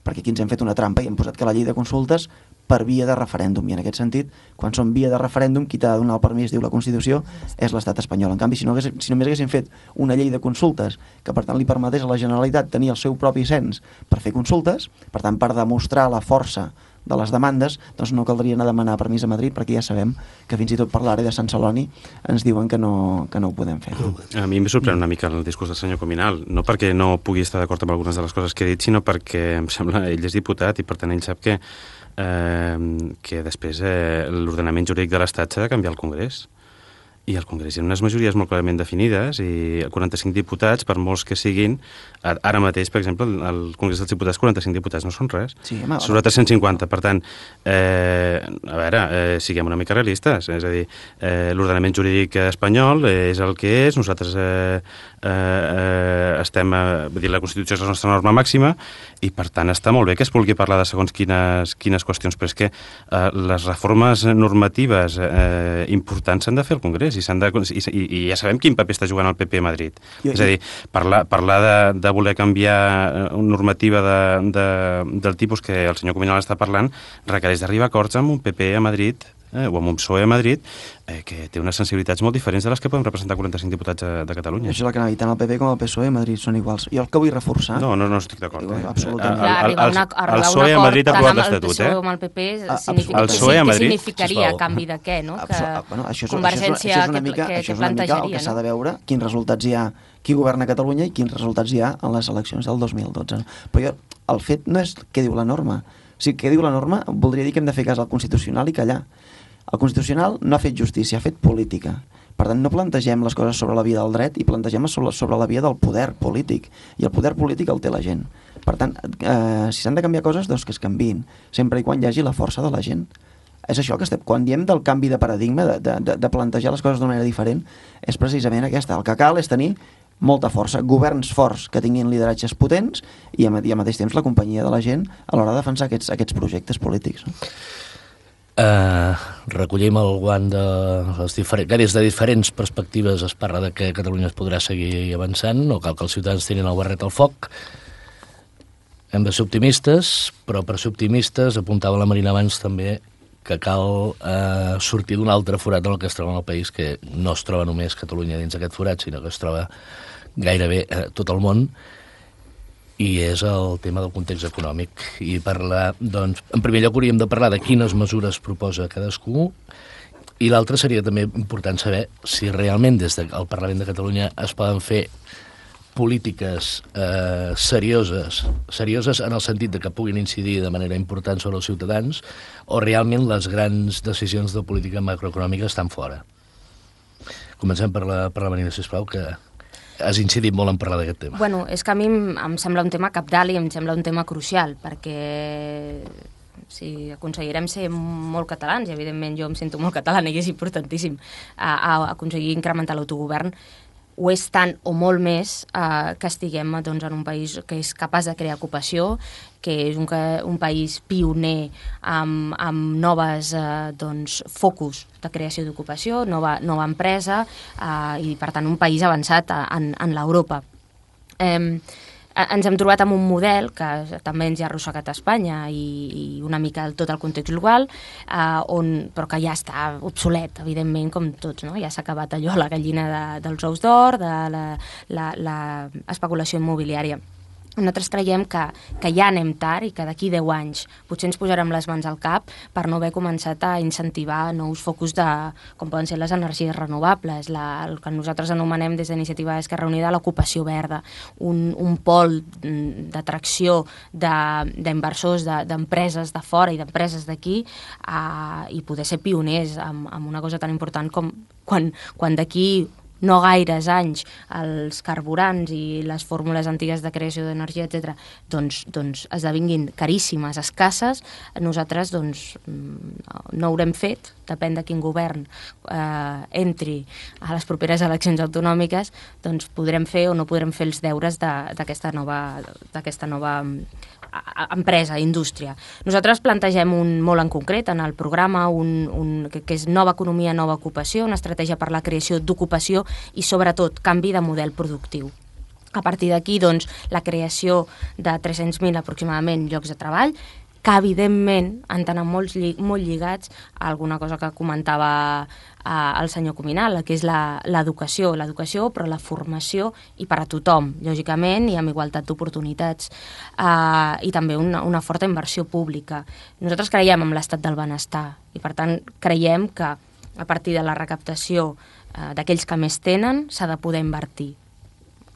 C: perquè aquí ens hem fet una trampa i hem posat que la llei de consultes per via de referèndum, i en aquest sentit, quan són via de referèndum, qui t'ha de donar el permís, diu la Constitució, és l'estat espanyol. En canvi, si només haguéssim fet una llei de consultes que per tant li permetés a la Generalitat tenir el seu propi cens per fer consultes, per tant per demostrar la força de les demandes, doncs no caldria anar a demanar permís a Madrid, perquè ja sabem que fins i tot per l'àrea de Sant Celoni ens diuen que no ho podem fer.
D: A mi em sorprèn una mica el discurs del senyor Cominal, no perquè no pugui estar d'acord amb algunes de les coses que ha dit, sinó perquè em sembla ell és diputat i per tant ell sap que després l'ordenament jurídic de l'Estat s'ha de canviar al Congrés. I al Congrés hi ha unes majories molt clarament definides i 45 diputats, per molts que siguin, ara mateix, per exemple, al Congrés dels Diputats 45 diputats no són res. Sí, sobre 350. Per tant, a veure, siguem una mica realistes. És a dir, l'ordenament jurídic espanyol és el que és, nosaltres estem, la Constitució és la nostra norma màxima i per tant està molt bé que es vulgui parlar de segons quines qüestions, però és que les reformes normatives importants s'han de fer al Congrés i ja sabem quin paper està jugant el PP a Madrid. És a dir, parlar de voler canviar una normativa del tipus que el senyor Cominal està parlant requereix d'arribar a acords amb un PP a Madrid o amb un PSOE a Madrid que té unes sensibilitats molt diferents de les que podem representar 45 diputats de Catalunya.
C: Això és el que anava a dir, tant el PP com el PSOE a Madrid són iguals. Jo el que vull reforçar...
D: No estic d'acord.
F: Absolutament.
D: El PSOE a Madrid ha aprovat l'Estatut,
F: el PSOE amb el PP significaria a canvi de què, no? Convergència que plantejaria.
C: Això és una mica el que s'ha de veure, quins resultats hi ha, qui governa Catalunya i quins resultats hi ha en les eleccions del 2012. Però el fet no és què diu la norma. O sigui, què diu la norma voldria dir que hem de fer cas al Constitucional i callar. El Constitucional no ha fet justícia, ha fet política. Per tant, no plantegem les coses sobre la via del dret i plantegem sobre la via del poder polític. I el poder polític el té la gent. Per tant, si s'han de canviar coses, doncs que es canviïn, sempre i quan hi hagi la força de la gent. És això que quan diem del canvi de paradigma, de plantejar les coses d'una manera diferent, és precisament aquesta. El que cal és tenir molta força, governs forts que tinguin lideratges potents i al mateix temps la companyia de la gent a l'hora de defensar aquests projectes polítics. No?
B: Recollim el guant de les des de diferents perspectives es parla de que Catalunya es podrà seguir avançant, no cal que els ciutadans tinguin el barret al foc. Hem de ser optimistes, però per ser optimistes, apuntava la Marina abans també, que cal sortir d'un altre forat en el que es troba en el país, que no es troba només Catalunya dins d'aquest forat, sinó que es troba gairebé tot el món, i és el tema del context econòmic. I parlar, doncs, en primer lloc hauríem de parlar de quines mesures proposa cadascú, i l'altre seria també important saber si realment des del Parlament de Catalunya es poden fer polítiques serioses en el sentit de que puguin incidir de manera important sobre els ciutadans, o realment les grans decisions de política macroeconòmica estan fora. Comencem per la Marina, sisplau, que has incidit molt en parlar d'aquest tema.
F: Bueno, és que a mi em sembla un tema cabdal i em sembla un tema crucial, perquè si aconseguirem ser molt catalans, i evidentment jo em sento molt catalana i és importantíssim aconseguir incrementar l'autogovern, ho és tant o molt més que estiguem doncs, en un país que és capaç de crear ocupació, que és un país pioner amb noves focus de creació d'ocupació, nova empresa, i per tant un país avançat en l'Europa. Ens hem trobat amb un model que també ens ha arrossegat a Espanya i una mica tot el context global, però que ja està obsolet, evidentment, com tots, no? Ja s'ha acabat allò, la gallina dels ous d'or, de l'especulació immobiliària. Nosaltres creiem que ja anem tard i que d'aquí 10 anys potser ens posarem les mans al cap per no haver començat a incentivar nous focus com poden ser les energies renovables, el que nosaltres anomenem des d'Iniciativa Esquerra Unida l'ocupació verda, un pol d'atracció d'inversors, d'empreses de fora i d'empreses d'aquí, i poder ser pioners en una cosa tan important com quan d'aquí no gaires anys els carburants i les fórmules antigues de creació d'energia, etc., doncs esdevinguin caríssimes, escasses, nosaltres no haurem fet, depèn de quin govern entri a les properes eleccions autonòmiques, doncs podrem fer o no podrem fer els deures d'aquesta nova empresa, indústria. Nosaltres plantegem molt en concret en el programa que és nova economia, nova ocupació, una estratègia per la creació d'ocupació i sobretot canvi de model productiu. A partir d'aquí, doncs, la creació de 300.000 aproximadament llocs de treball, que evidentment han d'anar molt lligats a alguna cosa que comentava el senyor Cuminal, que és l'educació, però la formació i per a tothom, lògicament, i amb igualtat d'oportunitats, i també una forta inversió pública. Nosaltres creiem en l'estat del benestar i, per tant, creiem que a partir de la recaptació d'aquells que més tenen s'ha de poder invertir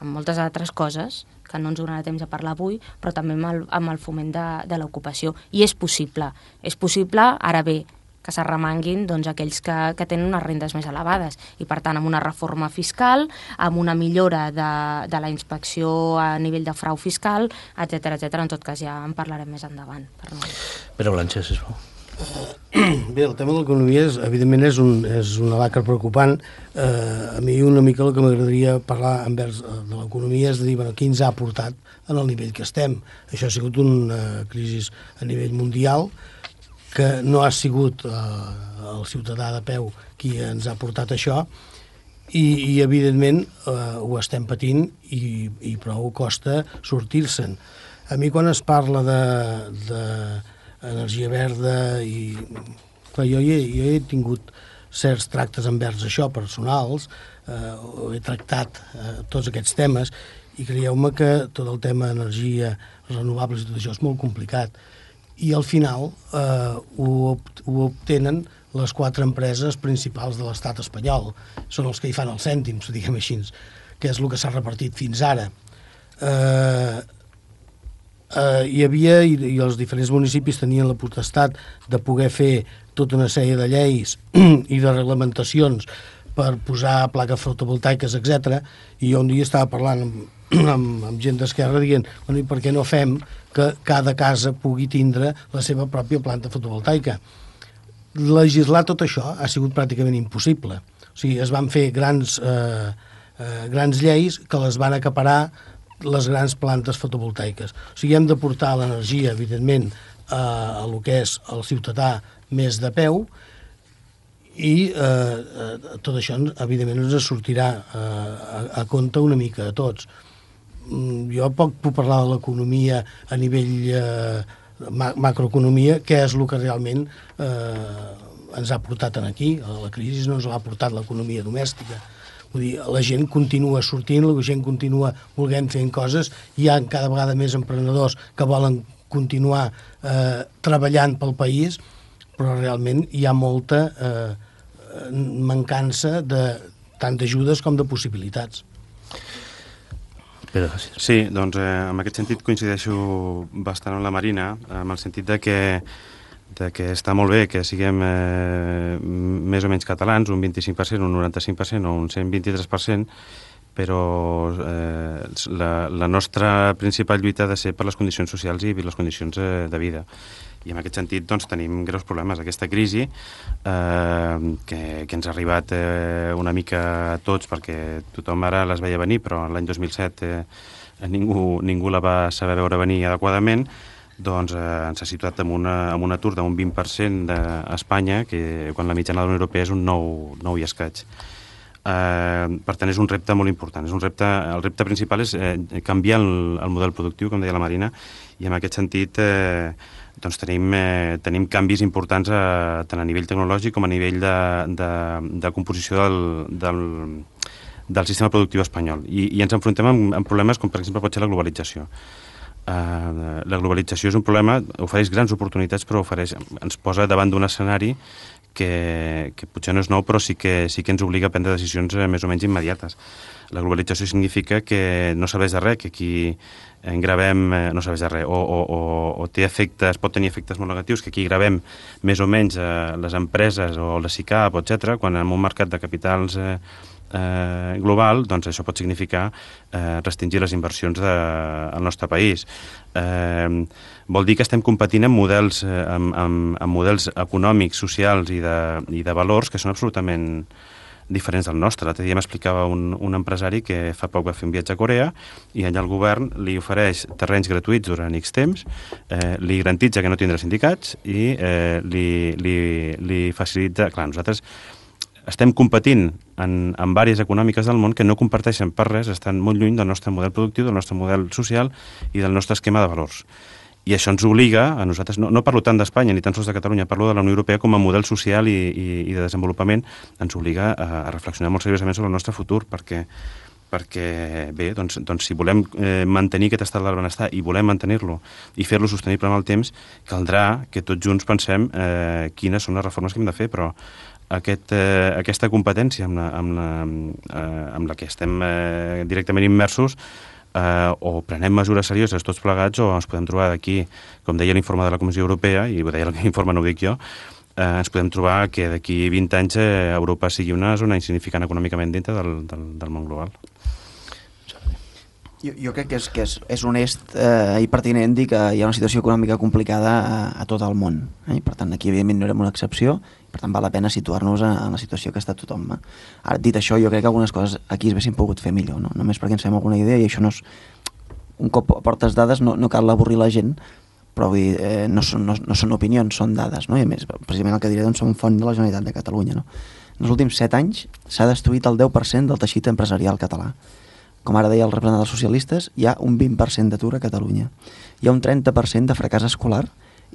F: en moltes altres coses que no ens donarà temps a parlar avui, però també amb el foment de l'ocupació. I és possible, ara bé, que s'arremanguin aquells que tenen unes rendes més elevades i, per tant, amb una reforma fiscal, amb una millora de la inspecció a nivell de frau fiscal, etc. En tot cas, ja en parlarem més endavant.
B: Pere Blanches, sisplau.
E: Bé, el tema de l'economia evidentment és una lacra preocupant. A mi una mica el que m'agradaria parlar envers de l'economia és de dir, què ens ha portat en el nivell que estem. Això ha sigut una crisi a nivell mundial, que no ha sigut el ciutadà de peu qui ens ha portat això, i evidentment ho estem patint i prou costa sortir-se'n. A mi quan es parla d'energia verda i clar, jo he tingut certs tractes envers això, personals, he tractat tots aquests temes i creieu-me que tot el tema d'energia renovables i tot això és molt complicat i al final ho obtenen les 4 empreses principals de l'estat espanyol, són els que hi fan els cèntims, diguem així, que és el que s'ha repartit fins ara. Hi havia, i els diferents municipis tenien la potestat de poder fer tota una sèrie de lleis i de reglamentacions per posar plaques fotovoltaiques, etc. I jo un dia estava parlant amb gent d'Esquerra dient, bueno, i per què no fem que cada casa pugui tindre la seva pròpia planta fotovoltaica? Legislar tot això ha sigut pràcticament impossible. O sigui, es van fer grans lleis que les van acaparar les grans plantes fotovoltaiques. O sigui, hem de portar l'energia, evidentment, a lo que és el ciutadà més de peu, i tot això, evidentment, ens sortirà a compte una mica a tots. Jo poc puc parlar de l'economia a nivell macroeconomia, que és el que realment ens ha portat aquí. La crisi no ens l'ha portat l'economia domèstica. Vull dir, la gent continua sortint, la gent continua volent fer coses, hi ha cada vegada més emprenedors que volen continuar treballant pel país, però realment hi ha molta mancança tant d'ajudes com de possibilitats.
D: Sí, doncs en aquest sentit coincideixo bastant amb la Marina, en el sentit de que està molt bé que siguem més o menys catalans, un 25%, un 95% o un 123%, però la nostra principal lluita ha de ser per les condicions socials i les condicions de vida. I en aquest sentit doncs, tenim greus problemes. Aquesta crisi que ens ha arribat una mica a tots, perquè tothom ara les veia venir, però l'any 2007 ningú la va saber veure venir adequadament, doncs ens ha situat amb un atur d'un 20% a Espanya, que quan la mitjana de la Unió Europea és un 9 i escaig. Per tant, és un repte molt important. El repte principal és canviar el model productiu, com deia la Marina, i en aquest sentit doncs tenim canvis importants tant a nivell tecnològic com a nivell de composició del sistema productiu espanyol. I ens enfrontem amb problemes com, per exemple, pot ser la globalització. La globalització és un problema, ofereix grans oportunitats, però ens posa davant d'un escenari que potser no és nou, però sí que ens obliga a prendre decisions més o menys immediates. La globalització significa que no serveix de res, que aquí gravem, no serveix de res, o té efectes, pot tenir efectes molt negatius, que aquí gravem més o menys les empreses o la SICAP, etc., quan en un mercat de capitals global, doncs això pot significar restringir les inversions al nostre país. Vol dir que estem competint amb models econòmics, socials i de valors que són absolutament diferents del nostre. L'altre dia m'explicava un empresari que fa poc va fer un viatge a Corea i allà el govern li ofereix terrenys gratuïts durant X temps, li garantitza que no tindrà sindicats i li facilita... Clar, nosaltres estem competint en àrees econòmiques del món que no comparteixen per res, estan molt lluny del nostre model productiu, del nostre model social i del nostre esquema de valors. I això ens obliga a nosaltres, no parlo tant d'Espanya ni tan sols de Catalunya, parlo de la Unió Europea com a model social i de desenvolupament, ens obliga a reflexionar molt seriosament sobre el nostre futur, perquè bé, doncs si volem mantenir aquest estat del benestar i volem mantenir-lo i fer-lo sostenible en el temps, caldrà que tots junts pensem quines són les reformes que hem de fer, però aquesta competència amb la que estem directament immersos, o prenem mesures serioses tots plegats o ens podem trobar d'aquí, com deia l'informe de la Comissió Europea, i ho deia l'informe, no ho dic jo, ens podem trobar que d'aquí 20 anys Europa sigui una zona insignificant econòmicament dintre del món global.
C: Jo crec que és honest i pertinent dir que hi ha una situació econòmica complicada a tot el món. I per tant, aquí evidentment no érem una excepció, per tant val la pena situar-nos en la situació que està tothom. Ara, dit això, jo crec que algunes coses aquí es haguessin pogut fer millor, no? Només perquè ens fem alguna idea, i això no és... Un cop aportes dades no cal avorrir la gent, però vull dir, no són opinions, són dades, no? I a més, precisament el que diré, doncs, som font de la Generalitat de Catalunya, no? En els últims 7 anys s'ha destruït el 10% del teixit empresarial català. Com ara deia el representant dels socialistes, hi ha un 20% d'atur a Catalunya. Hi ha un 30% de fracàs escolar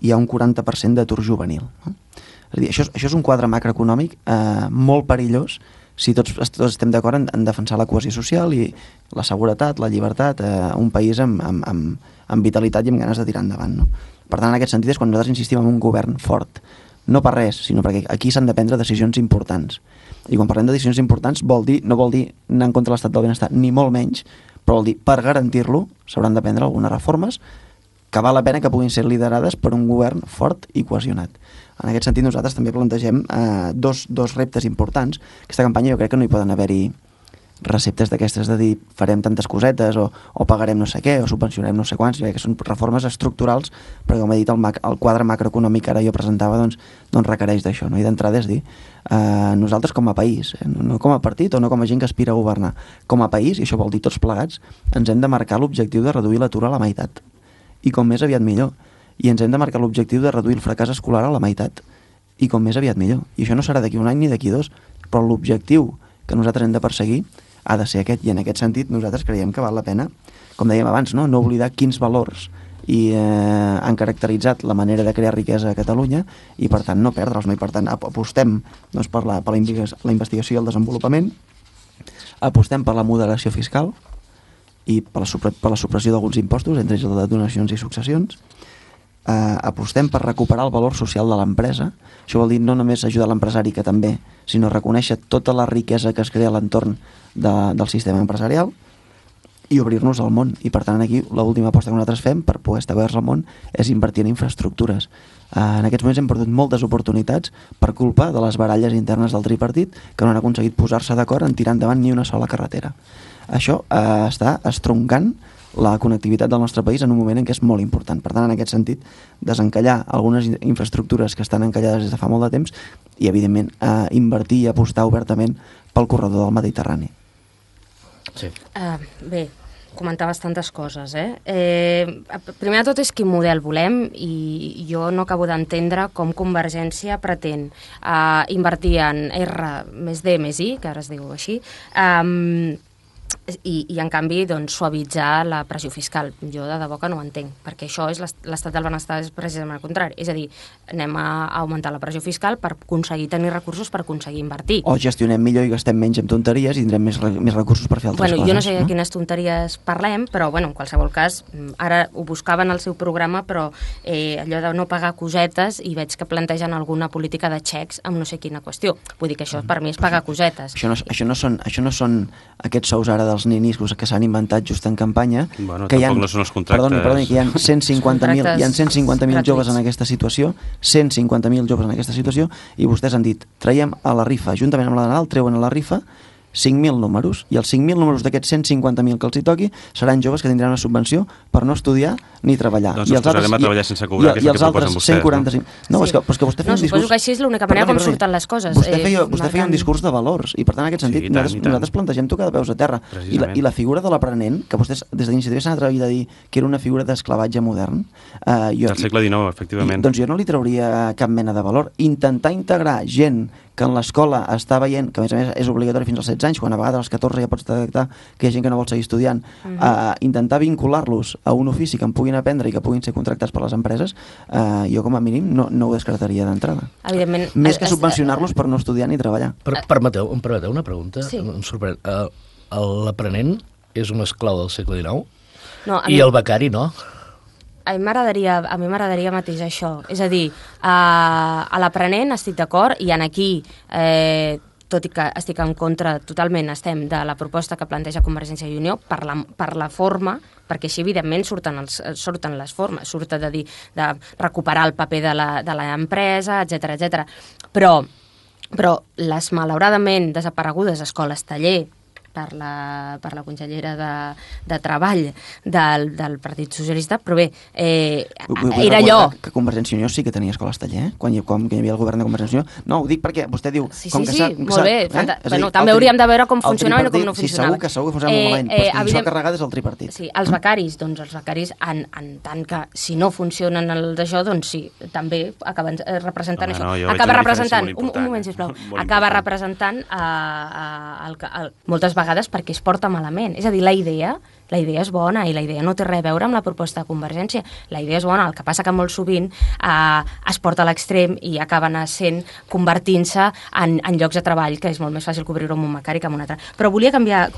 C: i hi ha un 40% d'atur juvenil. No? És a dir, això és un quadre macroeconòmic molt perillós si tots estem d'acord en defensar la cohesió social i la seguretat, la llibertat, un país amb vitalitat i amb ganes de tirar endavant. No? Per tant, en aquest sentit és quan nosaltres insistim en un govern fort. No per res, sinó perquè aquí s'han de prendre decisions importants. I quan parlem de decisions importants no vol dir anar en contra de l'estat del benestar, ni molt menys, però vol dir per garantir-lo s'hauran de prendre algunes reformes que val la pena que puguin ser liderades per un govern fort i cohesionat. En aquest sentit, nosaltres també plantegem dos reptes importants. Aquesta campanya jo crec que no hi poden haver-hi receptes d'aquestes de dir farem tantes cosetes o pagarem no sé què o subvencionarem no sé quants, jo crec que són reformes estructurals, perquè com he dit el quadre macroeconòmic que ara jo presentava doncs requereix d'això, no? I d'entrada és dir nosaltres com a país, no com a partit o no com a gent que aspira a governar, com a país, i això vol dir tots plegats, ens hem de marcar l'objectiu de reduir l'atur a la meitat, i com més aviat millor, i ens hem de marcar l'objectiu de reduir el fracàs escolar a la meitat, i com més aviat millor, i això no serà d'aquí un any ni d'aquí dos, però l'objectiu que nosaltres hem de perseguir ha de ser aquest, i en aquest sentit nosaltres creiem que val la pena, com dèiem abans, no oblidar quins valors han caracteritzat la manera de crear riquesa a Catalunya i per tant no perdre'ls, no? I per tant apostem doncs, per la investigació i el desenvolupament, apostem per la moderació fiscal i per la supressió d'alguns impostos, entre ells el de donacions i successions, apostem per recuperar el valor social de l'empresa. Això vol dir no només ajudar l'empresari, que també, sinó reconèixer tota la riquesa que es crea a l'entorn del sistema empresarial i obrir-nos al món. I per tant aquí l'última aposta que nosaltres fem per poder estar oberts al món és invertir en infraestructures. En aquests moments hem perdut moltes oportunitats per culpa de les baralles internes del tripartit, que no han aconseguit posar-se d'acord en tirar endavant ni una sola carretera. Això està estroncant la connectivitat del nostre país en un moment en què és molt important. Per tant, en aquest sentit, desencallar algunes infraestructures que estan encallades des de fa molt de temps i, evidentment, invertir i apostar obertament pel corredor del Mediterrani.
B: Sí.
F: Bé, comentaves tantes coses, primer de tot és quin model volem i jo no acabo d'entendre com Convergència pretén invertir en R+D+I, que ara es diu així, i en canvi doncs, suavitzar la pressió fiscal. Jo de debò que no ho entenc, perquè això és l'estat del benestar, és precisament el contrari. És a dir, anem a augmentar la pressió fiscal per aconseguir tenir recursos per aconseguir invertir.
C: O gestionem millor i gastem menys en tonteries i tindrem més recursos per fer altres coses.
F: Jo no sé de quines tonteries parlem, però en qualsevol cas, ara ho buscaven al seu programa, però allò de no pagar cosetes, i veig que plantegen alguna política de xecs amb no sé quina qüestió. Vull dir que això per mi és pagar cosetes.
C: Això no són aquests sous ara dels ninis que s'han inventat just en campanya.
D: Bueno, tampoc no són els contractes.
C: Perdoni, que hi ha 150.000 joves en aquesta situació, 150.000 joves en aquesta situació, i vostès han dit, traiem a la rifa, juntament amb la de Nadal, treuen a la rifa 5.000 números, i els 5.000 números d'aquests 150.000 que els hi toqui seran joves que tindran una subvenció per no estudiar ni treballar.
D: Doncs els posarem a treballar sense cobrar, que és el que proposen vostès.
C: 145... No, és que vostè feia un discurs...
F: Suposo que així és l'única manera com surten les coses.
C: Vostè feia un discurs de valors, i per tant en aquest sentit nosaltres plantegem tocar de peus a terra. I la figura de l'aprenent, que vostès des d'Iniciativa s'han atrevit a dir que era una figura d'esclavatge modern...
D: Del segle XIX, efectivament.
C: Doncs jo no li trauria cap mena de valor. Intentar integrar gent que en l'escola està veient, que a més és obligatori fins als 16 anys, quan a vegades als 14 ja pots detectar que hi ha gent que no vol seguir estudiant, intentar vincular-los a un ofici que en puguin aprendre i que puguin ser contractats per les empreses, jo com a mínim no ho descartaria d'entrada.
F: Evidentment.
C: Més que subvencionar-los per no estudiar ni treballar.
B: Permeteu una pregunta?
F: Sí.
B: Em sorprèn. L'aprenent és un esclau del segle XIX?
F: No,
B: i el becari no?
F: A mi m'agradaria matisar això. És a dir, a l'aprenent estic d'acord, i en aquí, tot i que estic en contra totalment, estem de la proposta que planteja Convergència i Unió per la forma, perquè així evidentment surten les formes, de recuperar el paper de l'empresa, etc. Però les malauradament desaparegudes escoles taller per la consellera de Treball del Partit Socialista, però bé, era allò...
C: Que Convergència i Unió sí que tenia escoles taller, quan hi havia el govern de Convergència i Unió. No, ho dic perquè vostè diu...
F: Sí, molt bé. També hauríem de veure com funcionava i com no funcionava.
C: Sí, segur que funcionava molt malament, però qui s'ho ha carregat és el tripartit.
F: Sí, els becaris, en tant que si no funcionen d'això, doncs sí, també acaben representant això. Acaba representant, un moment, sisplau, acaba representant moltes vegades perquè es porta malament. És a dir, la idea és bona i la idea no té res a veure amb la proposta de Convergència. La idea és bona, el que passa que molt sovint es porta a l'extrem i acaben convertint-se en llocs de treball, que és molt més fàcil cobrir-ho amb un becari que amb un altre. Però volia canviar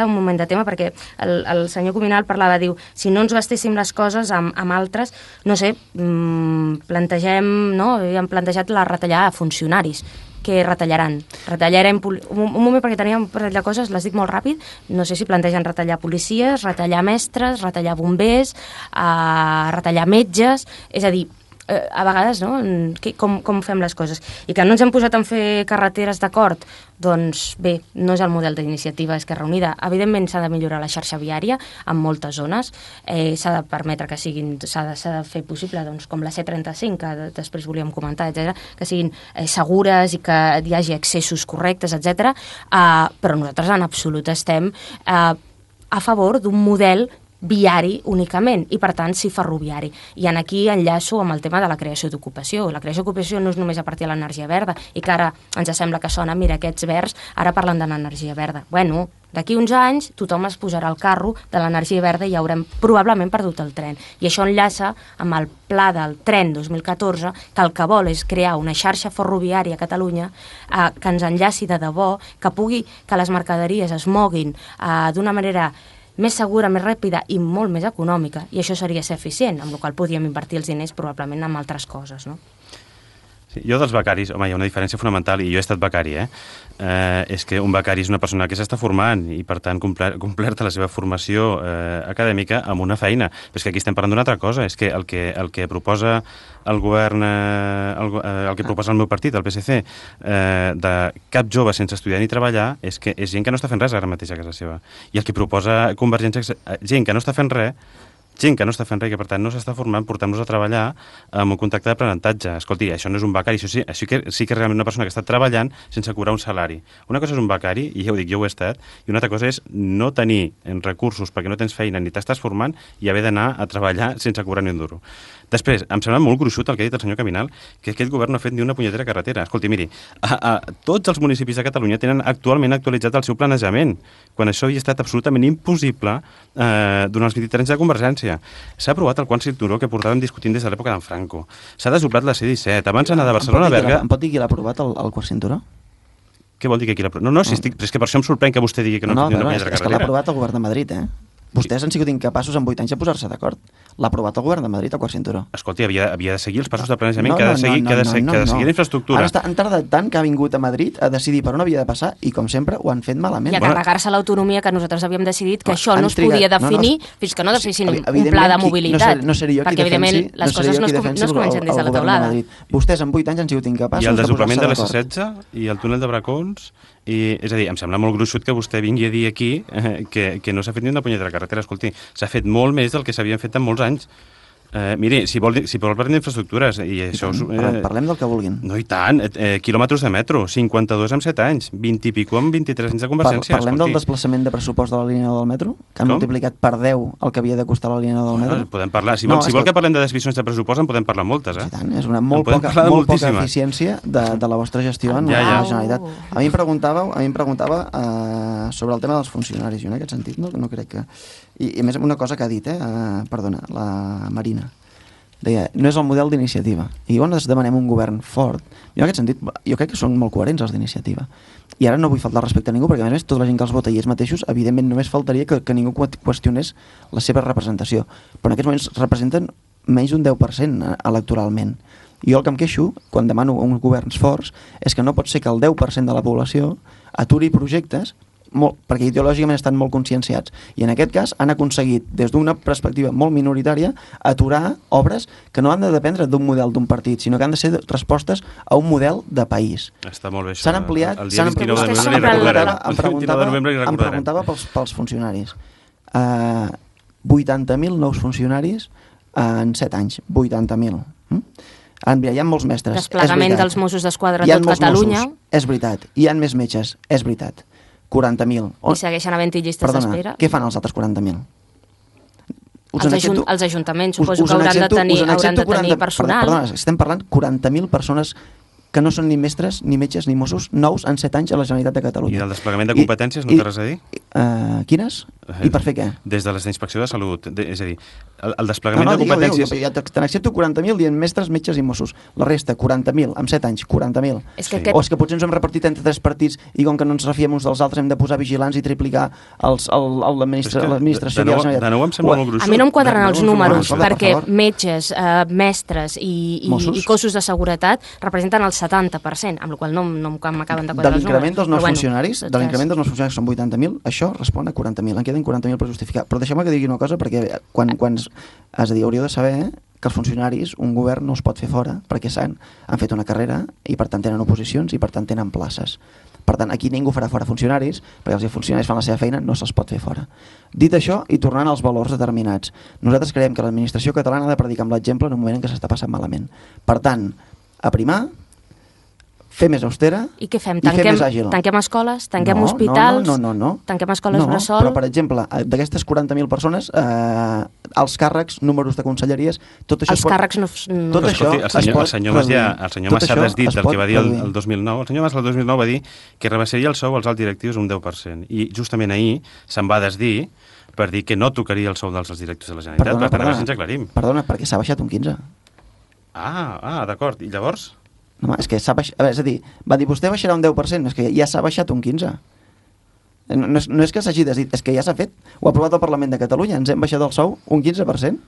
F: un moment de tema, perquè el senyor Cuminal parlava, diu, si no ens gastéssim les coses amb altres, no sé, plantegem, no? Hem plantejat la retallada a funcionaris. que retallaran. Retallarem... Un moment, perquè teníem un parell de coses, les dic molt ràpid. No sé si plantegen retallar policies, retallar mestres, retallar bombers, retallar metges... És a dir, a vegades, no? Com fem les coses. I que no ens hem posat en fer carreteres d'acord, doncs bé, no és el model d'iniciativa Esquerra Unida. Evidentment s'ha de millorar la xarxa viària en moltes zones, s'ha de permetre que siguin, s'ha de fer possible, doncs, com la C35, que després volíem comentar, etc, que siguin segures i que hi hagi accessos correctes, etc. Però nosaltres en absolut estem a favor d'un model viari únicament, i per tant sí ferroviari. I aquí enllaço amb el tema de la creació d'ocupació. La creació d'ocupació no és només a partir de l'energia verda, i que ara ens sembla que sona, mira, aquests verds ara parlen de l'energia verda. Bueno, d'aquí uns anys tothom es posarà al carro de l'energia verda i haurem probablement perdut el tren. I això enllaça amb el pla del tren 2014, que el que vol és crear una xarxa ferroviària a Catalunya que ens enllaci de debò, que les mercaderies es moguin d'una manera més segura, més ràpida i molt més econòmica, i això seria ser eficient, amb la qual podríem invertir els diners probablement en altres coses, no?
D: Sí, jo dels becaris, home, hi ha una diferència fonamental, i jo he estat becari, és que un becari és una persona que s'està formant i, per tant, completa la seva formació acadèmica amb una feina. Però és que aquí estem parlant d'una altra cosa, és que el que proposa el govern, el que proposa el meu partit, el PSC, de cap jove sense estudiar ni treballar, és que és gent que no està fent res ara mateix a casa seva. I el que proposa Convergència és gent que no està fent res, i que per tant no s'està formant, portant-nos a treballar amb un contracte d'aprenentatge. Escolti, això no és un becari, això sí que és realment una persona que està treballant sense cobrar un salari. Una cosa és un becari, i ja ho dic, jo ho he estat, i una altra cosa és no tenir recursos perquè no tens feina ni t'estàs formant i haver d'anar a treballar sense cobrar ni un duro. Després, em sembla molt gruixut el que ha dit el senyor Caminal, que aquest govern no ha fet ni una punyetera carretera. Escolti, miri, tots els municipis de Catalunya tenen actualment actualitzat el seu planejament, quan això havia estat absolutament impossible durant els 23 anys de Convergència. S'ha aprovat el quart cinturó que portàvem discutint des de l'època d'en Franco. S'ha desdoblat la C-17. Abans d'anar de Barcelona a Berga...
C: Em pot dir qui l'ha aprovat, el quart cinturó?
D: Què vol dir que qui l'ha aprovat? No, però és que per això em sorprèn que vostè digui que no ha fet ni una punyetera carretera.
C: És que l'ha aprovat el govern de Madrid, Vostès han sigut incapaços en 8 anys de posar-se d'acord. L'ha aprovat el govern de Madrid, el quart cinturó.
D: Escolti, havia de seguir els passos de planejament, que ha de seguir l'infraestructura.
C: Ara han tardat tant que ha vingut a Madrid a decidir per on havia de passar i, com sempre, ho han fet malament.
F: I a carregar-se l'autonomia que nosaltres havíem decidit que això no es podia definir fins que no definissin un pla de mobilitat.
C: No seré jo qui defensi el govern de Madrid. Vostès en 8 anys han sigut incapaços de posar-se d'acord.
D: I el desdoblament de la C-16 i el túnel de Bracons... És a dir, em sembla molt gruixut que vostè vingui a dir aquí que no s'ha fet ni una punyetera carretera. Escolti, s'ha fet molt més del que s'havien fet en molts anys. Miri, si vol parlar d'infraestructures i això...
C: Parlem del que vulguin.
D: No, i tant. Quilòmetres de metro, 52 en 7 anys, 20 i pico en 23 anys de Convergència.
C: Parlem del desplaçament de pressupost de la línia 9 del metro, que han multiplicat per 10 el que havia de costar la línia 9 del metro.
D: Podem parlar. Si vol que parlem de desviacions de pressupost, en podem parlar moltes,
C: I tant, és una molt poca eficiència de la vostra gestió en la Generalitat. A mi em preguntava sobre el tema dels funcionaris. Jo en aquest sentit no crec que... I a més, una cosa que ha dit, perdona, la Marina, deia, no és el model d'iniciativa. I llavors demanem un govern fort. Jo en aquest sentit, jo crec que són molt coherents els d'iniciativa. I ara no vull faltar respecte a ningú, perquè a més tota la gent que els vota i ells mateixos, evidentment només faltaria que ningú qüestionés la seva representació. Però en aquests moments representen menys d'un 10% electoralment. I jo el que em queixo, quan demano uns governs forts, és que no pot ser que el 10% de la població aturi projectes perquè ideològicament estan molt conscienciats, i en aquest cas han aconseguit, des d'una perspectiva molt minoritària, aturar obres que no han de dependre d'un model d'un partit, sinó que han de ser respostes a un model de país.
D: Està molt bé això.
C: S'han ampliat...
D: El dia 29 de novembre
C: em preguntava pels funcionaris. 80.000 nous funcionaris en 7 anys. 80.000. Hi ha molts mestres.
F: Desplegament dels Mossos d'Esquadra a tot Catalunya.
C: És veritat. Hi ha més metges. És veritat. 40.000.
F: I segueixen havent-hi llistes d'espera.
C: Què fan els altres 40.000?
F: Els ajuntaments suposo que hauran de tenir personal.
C: Perdona, estem parlant 40.000 persones que no són ni mestres, ni metges, ni Mossos, nous en 7 anys a la Generalitat de Catalunya.
D: I del desplegament de competències no té res a dir?
C: Quines? I per fer què?
D: Des de les d'inspecció de salut, és a dir, el desplegament de
C: digueu,
D: competències...
C: ja te n'accepto 40.000 dient mestres, metges i Mossos. La resta, 40.000, amb 7 anys, 40.000. O és que potser ens hem repartit entre 3 partits i com que no ens refiem uns dels altres hem de posar vigilants i triplicar l'administració.
D: De nou em sembla molt gruixut.
F: A mi no em quadren els números, perquè metges, mestres i cossos de seguretat representen el 70%, amb la qual cosa no m'acaben de quadrar els números.
C: De l'increment dels nous funcionaris, són 80.000, això respon a 40.000. En queden 40.000 per justificar. Però deixeu-me que digui una cosa, perquè és a dir, hauríeu de saber que els funcionaris, un govern no els pot fer fora, perquè han fet una carrera i per tant tenen oposicions i per tant tenen places. Per tant, aquí ningú farà fora funcionaris, perquè els funcionaris fan la seva feina, no se'ls pot fer fora. Dit això, i tornant als valors determinats, nosaltres creiem que l'administració catalana ha de predicar amb l'exemple en un moment en què s'està passant malament. Per tant, aprimar, fer més austera i fer més àgil.
F: Tanquem escoles, tanquem hospitals, tanquem escoles bressol...
C: Però, per exemple, d'aquestes 40.000 persones, els càrrecs, números de conselleries, tot això...
F: Els càrrecs no...
C: Tot això
D: el senyor Massades dit el que va dir el 2009. El senyor Massades el 2009 va dir que rebassaria el sou als alts directius un 10%. I justament ahir se'n va desdir per dir que no tocaria el sou dels alts directius de la Generalitat. Per tant, ara ens aclarim.
C: Perdona, perquè s'ha baixat un 15.
D: D'acord. I llavors...
C: No, és que s'ha baixat... És a dir, va dir, vostè baixarà un 10%, és que ja s'ha baixat un 15%. No és que s'hagi decidit, és que ja s'ha fet. Ho ha aprovat el Parlament de Catalunya, ens hem baixat el sou un 15%.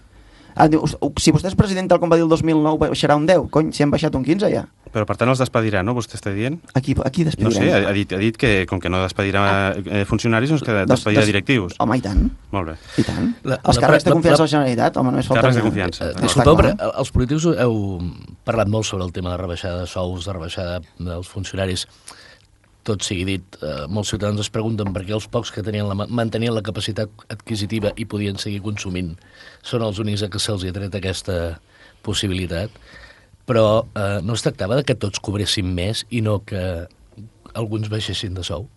C: Diu, si vostè és president tal com va dir el 2009, baixarà un 10%. Cony, si hem baixat un 15% ja.
D: Però per tant els despedirà, no? Vostè està dient?
C: Aquí despedirà.
D: No sé, ha dit que com que no despedirà funcionaris, doncs que despedirà directius.
C: Home, i tant.
D: Molt bé.
C: I tant. Els càrrecs de confiança de la Generalitat, home, només falta...
D: Càrrecs de confiança.
B: Disculpeu, però els polítics heu parlat molt sobre el tema de rebaixada de sous, de rebaixada dels funcionaris. Tot sigui dit, molts ciutadans es pregunten per què els pocs que mantenien la capacitat adquisitiva i podien seguir consumint són els únics a què se'ls ha tret aquesta possibilitat. Però no es tractava de que tots cobressin més i no que alguns baixessin de sou?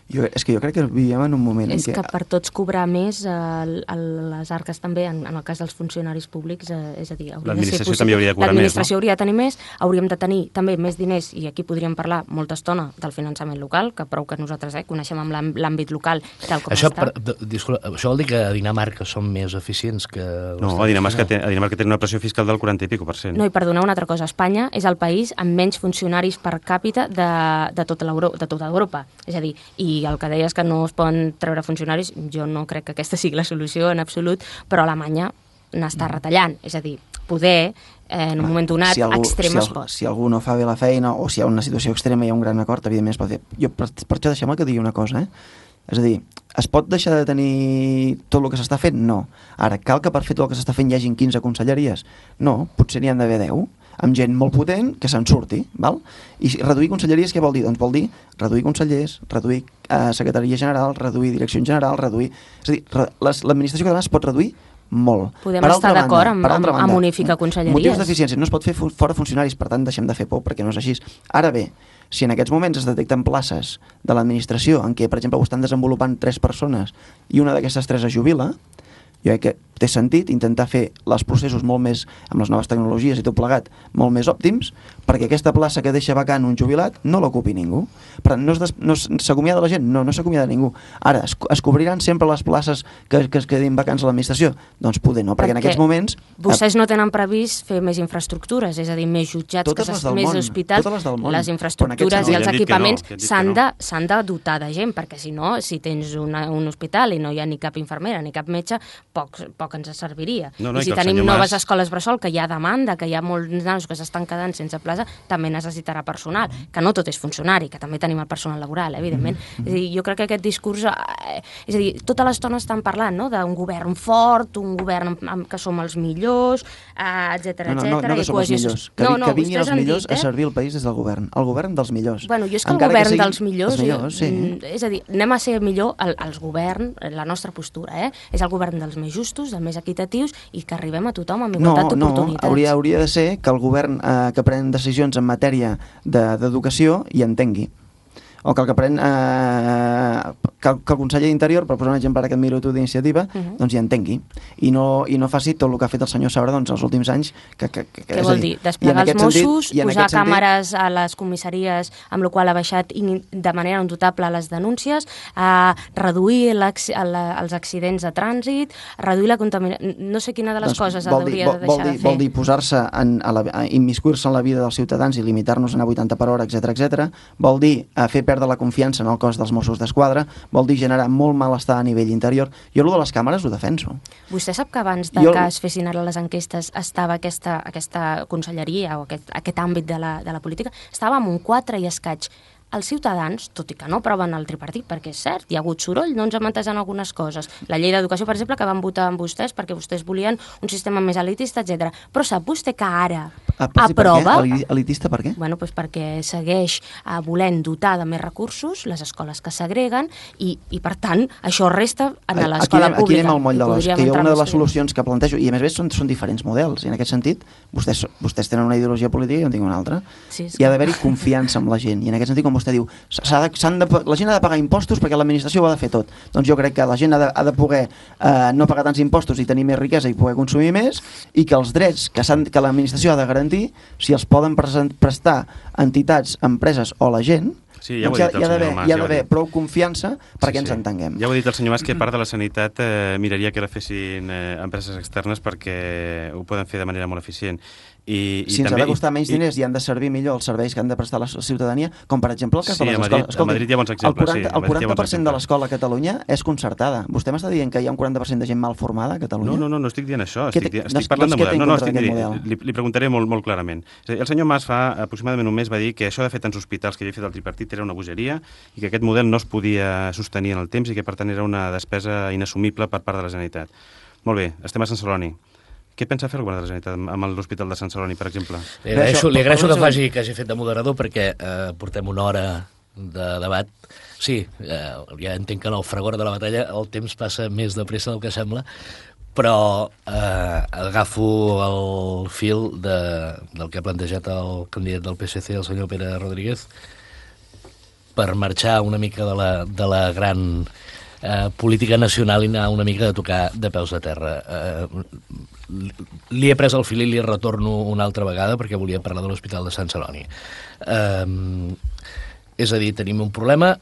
C: És que jo crec que vivim en un moment
F: en què... És que per tots cobrar més, les arques també, en el cas dels funcionaris públics, és a dir...
D: L'administració també hauria de cobrar més, no?
F: L'administració hauria de tenir més, hauríem de tenir també més diners, i aquí podríem parlar molta estona del finançament local, que prou que nosaltres coneixem amb l'àmbit local tal com està.
B: Això vol dir que a Dinamarca són més eficients que...
D: No, a Dinamarca tenen una pressió fiscal del 40 i pico %.
F: No, i perdoneu una altra cosa, Espanya és el país amb menys funcionaris per càpita de tota Europa. És a dir, i el que deies que no es poden treure funcionaris, jo no crec que aquesta sigui la solució en absolut, però Alemanya n'està retallant. És a dir, poder, en un moment donat, extrem es pot.
C: Si algú no fa bé la feina o si hi ha una situació extrema i hi ha un gran acord, evidentment es pot fer. Jo, per això deixem-me que digui una cosa, És a dir, es pot deixar de tenir tot el que s'està fent? No. Ara, cal que per fer tot el que s'està fent hi hagin 15 conselleries? No, potser n'hi han d'haver 10, amb gent molt potent que se'n surti, val? I reduir conselleries què vol dir? Doncs vol dir reduir consellers, reduir secretaria general, reduir direcció general, reduir... És a dir, l'administració catalana es pot reduir molt.
F: Podem estar d'acord amb unificar conselleries.
C: Motius d'eficiència, no es pot fer fora funcionaris, per tant deixem de fer por, perquè no és així. Ara bé, si en aquests moments es detecten places de l'administració en què, per exemple, ho estan desenvolupant 3 persones i una d'aquestes 3 es jubila, jo crec que té sentit intentar fer els processos molt més, amb les noves tecnologies i tot plegat, molt més òptims, perquè aquesta plaça que deixa vacant un jubilat no l'ocupi ningú. Per tant, no s'acomiada la gent? No s'acomiada ningú. Ara, es cobriran sempre les places que es quedin vacants a l'administració? Doncs poder no, perquè en aquests moments...
F: Vostès no tenen previst fer més infraestructures, és a dir, més jutjats, més hospitals, les infraestructures i els equipaments s'han de dotar de gent, perquè si no, si tens un hospital i no hi ha ni cap infermera ni cap metge, poc ens serviria. I si tenim noves escoles bressol, que hi ha demanda, que hi ha molts nanos que s'estan quedant sense plaça, també necessitarà personal, que no tot és funcionari, que també tenim el personal laboral, evidentment. És a dir, jo crec que aquest discurs... És a dir, tota l'estona estan parlant, no?, d'un govern fort, un govern que som els millors, etcètera, etcètera.
C: No que som els millors, que vinguin els millors a servir el país des del govern. El govern dels millors.
F: Bueno, jo és que el govern dels millors... És a dir, anem a ser millor els govern, la nostra postura, és el govern dels més justos, dels més equitatius i que arribem a tothom amb igualtat d'oportunitats.
C: No, hauria de ser que el govern que pren decisions en matèria d'educació hi entengui. o que el que pren que el conseller d'Interior, per posar un exemple ara que et miro tu d'Iniciativa, doncs hi entengui i no faci tot el que ha fet el senyor Saura doncs, els últims anys.
F: Què vol dir? Desplegar els Mossos, posar càmeres a les comissaries, amb la qual ha baixat de manera indubtable les denúncies, reduir els accidents de trànsit, reduir la contaminació... No sé quina de les coses hauria de deixar de fer.
C: Vol dir posar-se immiscuir-se en la vida dels ciutadans i limitar-nos a anar 80 per hora, etc. Vol dir fer perdre la confiança en el cos dels Mossos d'Esquadra, vol dir generar molt malestar a nivell interior. Jo allò de les càmeres ho defenso.
F: Vostè sap que abans que es fessin ara les enquestes estava aquesta conselleria o aquest àmbit de la política, estava amb un 4 i escaig. Els ciutadans, tot i que no aproven el tripartit, perquè és cert, hi ha hagut soroll, no ens hem entès en algunes coses. La llei d'educació, per exemple, que van votar amb vostès perquè vostès volien un sistema més elitista, etc. Però sap vostè que ara aprova...
C: Elitista per què?
F: Bueno, doncs perquè segueix volent dotar de més recursos les escoles que segreguen i per tant, això resta en l'escola pública.
C: Aquí anem al moll de l'os, que una de les solucions que plantejo, i a més són diferents models, i en aquest sentit vostès tenen una ideologia política i jo en tinc una altra. Hi ha d'haver-hi confiança en la gent, i en aquest sentit, com vostè diu, la gent ha de pagar impostos perquè l'administració ho ha de fer tot. Doncs jo crec que la gent ha de poder no pagar tants impostos i tenir més riquesa i poder consumir més, i que els drets que l'administració ha de garantir, si els poden prestar entitats, empreses o la gent,
D: sí,
C: hi ha d'haver prou confiança perquè ens entenguem.
D: Ja ho ha dit el senyor Mas, que part de la sanitat miraria que la fessin empreses externes perquè ho poden fer de manera molt eficient.
C: Si ens ha de costar menys diners i han de servir millor els serveis que han de prestar la ciutadania, com per exemple el cas de les escoles.
D: A Madrid hi ha bons exemples.
C: El 40% de l'escola a Catalunya és concertada. Vostè m'està dient que hi ha un 40% de gent mal formada a Catalunya?
D: No estic dient això. Estic parlant de model. Li preguntaré molt clarament. El senyor Mas fa aproximadament un mes va dir que això de fer tants hospitals que havia fet el tripartit era una bogeria i que aquest model no es podia sostenir en el temps i que per tant era una despesa inassumible per part de la Generalitat. Molt bé, estem a Sant Celoni. Què pensa fer el govern de la Generalitat amb l'Hospital de Sant Celoni, per exemple?
B: Li agraeixo que hagi fet de moderador perquè portem una hora de debat. Sí, ja entenc que en el fragor de la batalla el temps passa més de pressa del que sembla, però agafo el fil del que ha plantejat el candidat del PSC, el senyor Pere Rodríguez, per marxar una mica de la gran política nacional i anar una mica de tocar de peus a terra. Li he pres el fil i li retorno una altra vegada perquè volia parlar de l'Hospital de Sant Celoni. És a dir, tenim un problema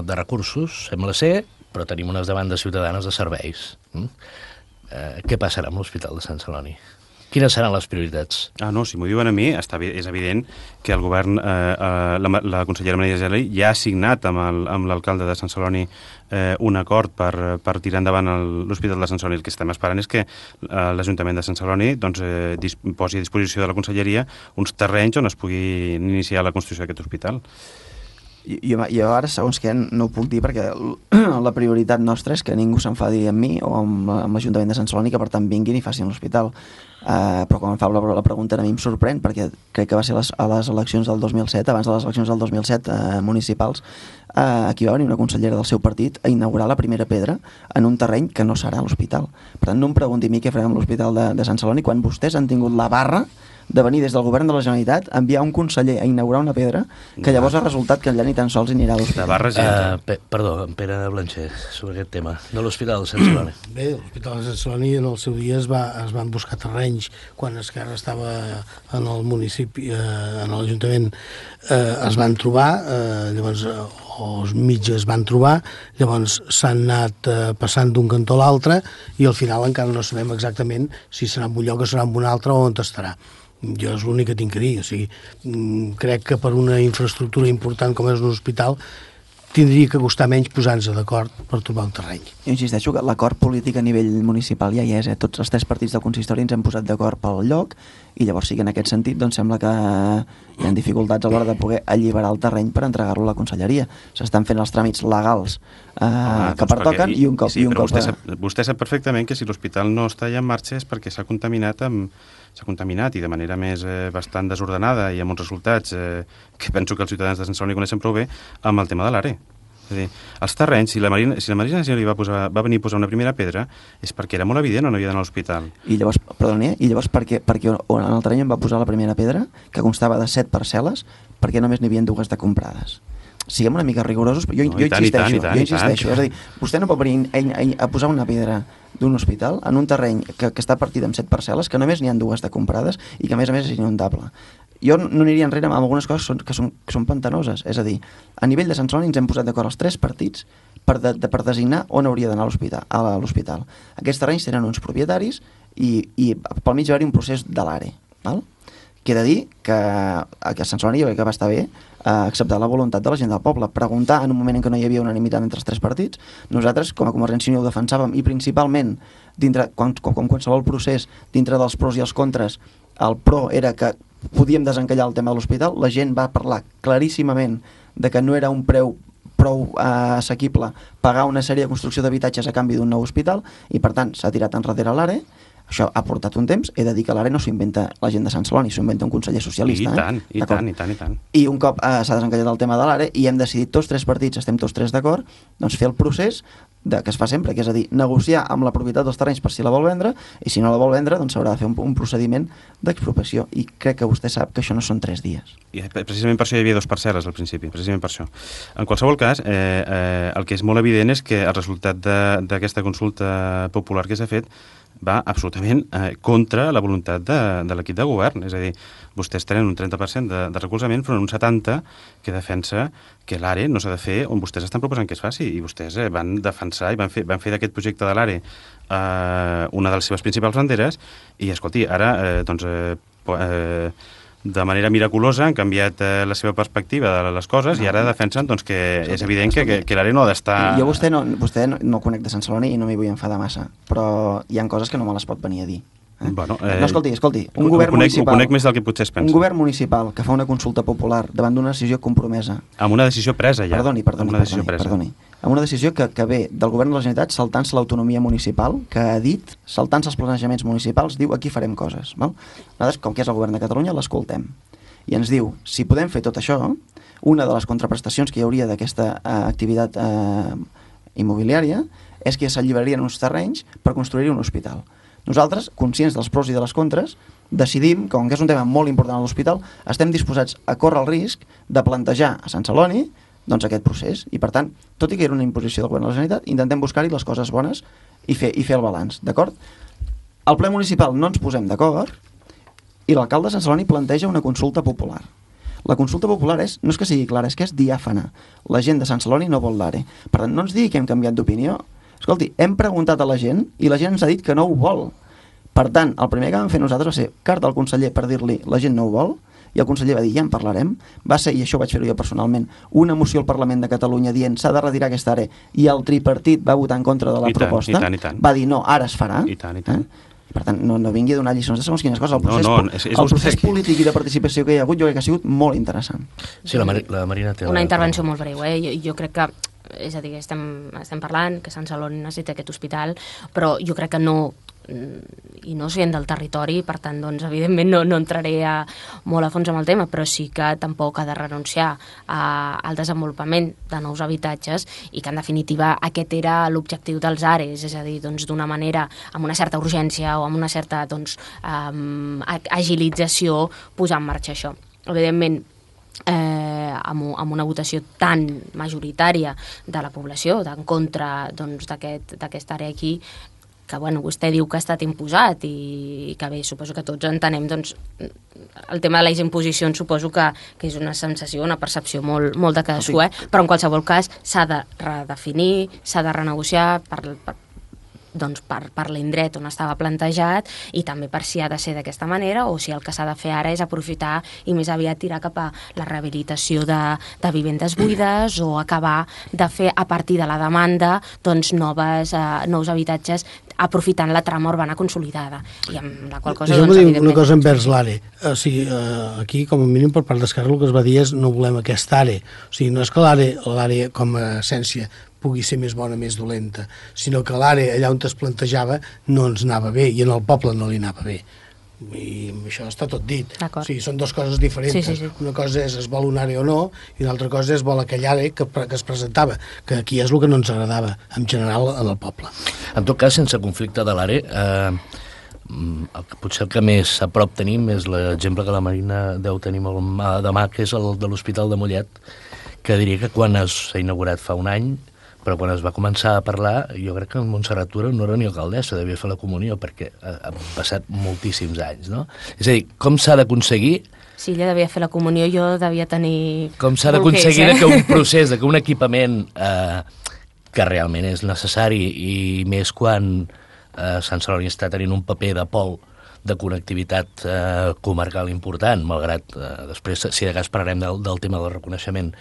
B: de recursos, sembla ser, però tenim unes demandes ciutadanes de serveis. Què passarà amb l'Hospital de Sant Celoni? Quines seran les prioritats?
D: No, si m'ho diuen a mi, és evident que el govern, la consellera Maria Geli, ja ha signat amb l'alcalde de Sant Celoni un acord per tirar endavant l'Hospital de Sant Celoni. El que estem esperant és que l'Ajuntament de Sant Celoni posi a disposició de la conselleria uns terrenys on es pugui iniciar la construcció d'aquest hospital.
C: Jo ara, segons què, no ho puc dir perquè la prioritat nostra és que ningú s'enfadi amb mi o amb l'Ajuntament de Sant Celoni, que per tant vinguin i facin l'hospital. Però quan em fa la pregunta a mi em sorprèn perquè crec que va ser a les eleccions del 2007, abans de les eleccions del 2007 municipals, aquí va venir una consellera del seu partit a inaugurar la primera pedra en un terreny que no serà l'hospital. Per tant, no em pregunti a mi què farem amb l'Hospital de Sant Celoni quan vostès han tingut la barra de venir des del govern de la Generalitat a enviar un conseller a inaugurar una pedra que llavors ha resultat que allà ni tan sols hi anirà a l'hospital.
B: Perdó, en Pere Blancher, sobre aquest tema de l'Hospital de Sant Celoni.
E: Bé, l'Hospital de Sant Celoni en el seu dia es van buscar terrenys quan Esquerra estava en el municipi, en l'Ajuntament, es van trobar, llavors els mitges van trobar, llavors s'han anat passant d'un cantó a l'altre i al final encara no sabem exactament si serà en un lloc o serà en un altre o on estarà. Jo és l'únic que tinc a dir, o sigui, crec que per una infraestructura important com és un hospital tindria que costar menys posar-nos d'acord per trobar un terreny.
C: Jo insisteixo que l'acord polític a nivell municipal ja hi és, tots els 3 partits del consistori ens hem posat d'acord pel lloc i llavors sí que en aquest sentit doncs sembla que hi ha dificultats a l'hora de poder alliberar el terreny per entregar-lo a la conselleria. S'estan fent els tràmits legals que pertoquen i un cop...
D: Vostè sap perfectament que si l'hospital no està ja en marxa és perquè s'ha contaminat i de manera més bastant desordenada i amb uns resultats que penso que els ciutadans de Sant Celoni coneixen prou bé amb el tema de l'ARE. És a dir, els terrenys, si la Marina Geli va venir a posar una primera pedra és perquè era molt evident on havia d'anar a l'hospital.
C: I llavors, perquè en el terreny em va posar la primera pedra, que constava de 7 parcel·les, perquè només n'hi havia 2 de comprades. siguem una mica rigorosos, jo insisteixo, és a dir, vostè no pot venir a posar una pedra d'un hospital en un terreny que està partit en 7 parcel·les, que només n'hi ha 2 de comprades i que a més és inundable. Jo no aniria enrere amb algunes coses que són pantanoses, és a dir, a nivell de Sant Celoni ens hem posat d'acord els 3 partits per designar on hauria d'anar a l'hospital. Aquests terrenys tenen uns propietaris i pel mig va haver-hi un procés de l'ARE, val? Queda dir que a Sant Celoni jo crec que va estar bé acceptar la voluntat de la gent del poble, preguntar en un moment en què no hi havia unanimitat entre els 3 partits. Nosaltres, com a Convergència i Unió, ho defensàvem i principalment, com qualsevol procés, dintre dels pros i els contres, el pro era que podíem desencallar el tema de l'hospital. La gent va parlar claríssimament de que no era un preu prou assequible pagar una sèrie de construcció d'habitatges a canvi d'un nou hospital i, per tant, s'ha tirat enrere l'ARE. Això ha portat un temps. He de dir que l'ARE no s'ho inventa la gent de Sant Celoni, s'ho inventa un conseller socialista.
D: I tant.
C: I un cop s'ha desencallat el tema de l'ARE i hem decidit tots 3 partits, estem tots 3 d'acord, doncs fer el procés que es fa sempre, que és a dir, negociar amb la propietat dels terrenys per si la vol vendre, i si no la vol vendre, doncs s'haurà de fer un procediment d'expropiació. I crec que vostè sap que això no són 3 dies.
D: I precisament per això hi havia 2 parcel·les al principi, precisament per això. En qualsevol cas, el que és molt evident és que el resultat d'aquesta consulta popular que s'ha fet va absolutament contra la voluntat de l'equip de govern. És a dir, vostès tenen un 30% de recolzament, però un 70% que defensa que l'ARE no s'ha de fer on vostès estan proposant que es faci. I vostès van defensar i van fer d'aquest projecte de l'ARE una de les seves principals banderes i, escolti, ara, de manera miraculosa han canviat la seva perspectiva de les coses i ara defensen que és evident que l'ARE no ha d'estar...
C: Jo vostè no conec de Sant Celoni i no m'hi vull enfadar massa, però hi ha coses que no me les pot venir a dir.
D: Bueno,
C: no, escolti, un govern municipal...
D: Ho conec més del que potser es pensa.
C: Un govern municipal que fa una consulta popular davant d'una decisió compromesa...
D: Amb una decisió presa, ja.
C: Perdoni. Amb una decisió que ve del govern de la Generalitat saltant-se l'autonomia municipal, que ha dit, saltant-se els planejaments municipals, diu aquí farem coses. Val? Nosaltres, com que és el govern de Catalunya, l'escoltem. I ens diu, si podem fer tot això, una de les contraprestacions que hi hauria d'aquesta activitat immobiliària és que s'alliberarien uns terrenys per construir un hospital. Nosaltres, conscients dels pros i de les contres, decidim, com que és un tema molt important a l'hospital, estem disposats a córrer el risc de plantejar a Sant Celoni doncs, aquest procés. I, per tant, tot i que era una imposició del govern de la Generalitat, intentem buscar-hi les coses bones i fer el balanç, d'acord? Al ple municipal no ens posem d'acord i l'alcalde de Sant Celoni planteja una consulta popular. La consulta popular no és que sigui clara, és que és diàfana. La gent de Sant Celoni no vol l'ARE. Per tant, no ens digui que hem canviat d'opinió. Escolti, hem preguntat a la gent i la gent ens ha dit que no ho vol. Per tant, el primer que vam fer nosaltres va ser carta al conseller per dir-li la gent no ho vol, i el conseller va dir ja en parlarem. Va ser, i això vaig fer-ho jo personalment, una moció al Parlament de Catalunya dient s'ha de retirar aquesta àrea i el tripartit va votar en contra de la proposta.
D: I tant.
C: Va dir no, ara es farà.
D: I tant.
C: Per tant, no vingui a donar lliçons de segons quines coses. El procés polític i de participació que hi ha hagut jo crec que ha sigut molt interessant.
B: Sí, la Marina té...
F: Una intervenció molt breu, Jo crec que, és a dir, estem parlant que Sant Celoni necessita aquest hospital, però jo crec que no, i no sent del territori, per tant, doncs, evidentment no entraré molt a fons amb el tema, però sí que tampoc ha de renunciar al desenvolupament de nous habitatges i que, en definitiva, aquest era l'objectiu dels ARES, és a dir, doncs, d'una manera, amb una certa urgència o amb una certa agilització, posar en marxa això. Evidentment, amb una votació tan majoritària de la població en contra d'aquesta àrea aquí, que vostè diu que ha estat imposat i que bé, suposo que tots entenem, doncs el tema de les imposicions suposo que és una sensació, una percepció molt de cadascú, però en qualsevol cas s'ha de redefinir, s'ha de renegociar per l'indret on estava plantejat i també per si ha de ser d'aquesta manera o si el que s'ha de fer ara és aprofitar i més aviat tirar cap a la rehabilitació de vivendes buides o acabar de fer a partir de la demanda nous habitatges aprofitant la trama urbana consolidada i amb la qual cosa...
E: Deixa'm dir una cosa envers l'ARE. Aquí, com a mínim, per part d'Esquerra, el que es va dir és no volem aquesta ARE. O sigui, no és que l'ARE com a essència pugui ser més bona, més dolenta, sinó que l'ARE, allà on es plantejava, no ens anava bé, i en el poble no li anava bé. I això està tot dit. O sigui, són dues coses diferents. Sí. Una cosa és es vol un àrea o no, i una altra cosa és vol aquella àrea que es presentava, que aquí és el que no ens agradava, en general, en el poble.
B: En tot cas, sense conflicte de l'ARE, potser el que més a prop tenim és l'exemple que la Marina deu tenir demà, que és el de l'Hospital de Mollet, que diria que quan s'ha inaugurat fa un any, però quan es va començar a parlar, jo crec que en Montserrat Tura no era ni alcaldessa, devia fer la comunió, perquè han passat moltíssims anys, no? És a dir, com s'ha d'aconseguir...
F: Sí, ella devia fer la comunió, jo devia tenir...
B: Com s'ha d'aconseguir que un procés, que un equipament que realment és necessari, i més quan Sant Celoni està tenint un paper de pol de connectivitat comarcal important, malgrat després, si de cas parlarem del tema del reconeixement,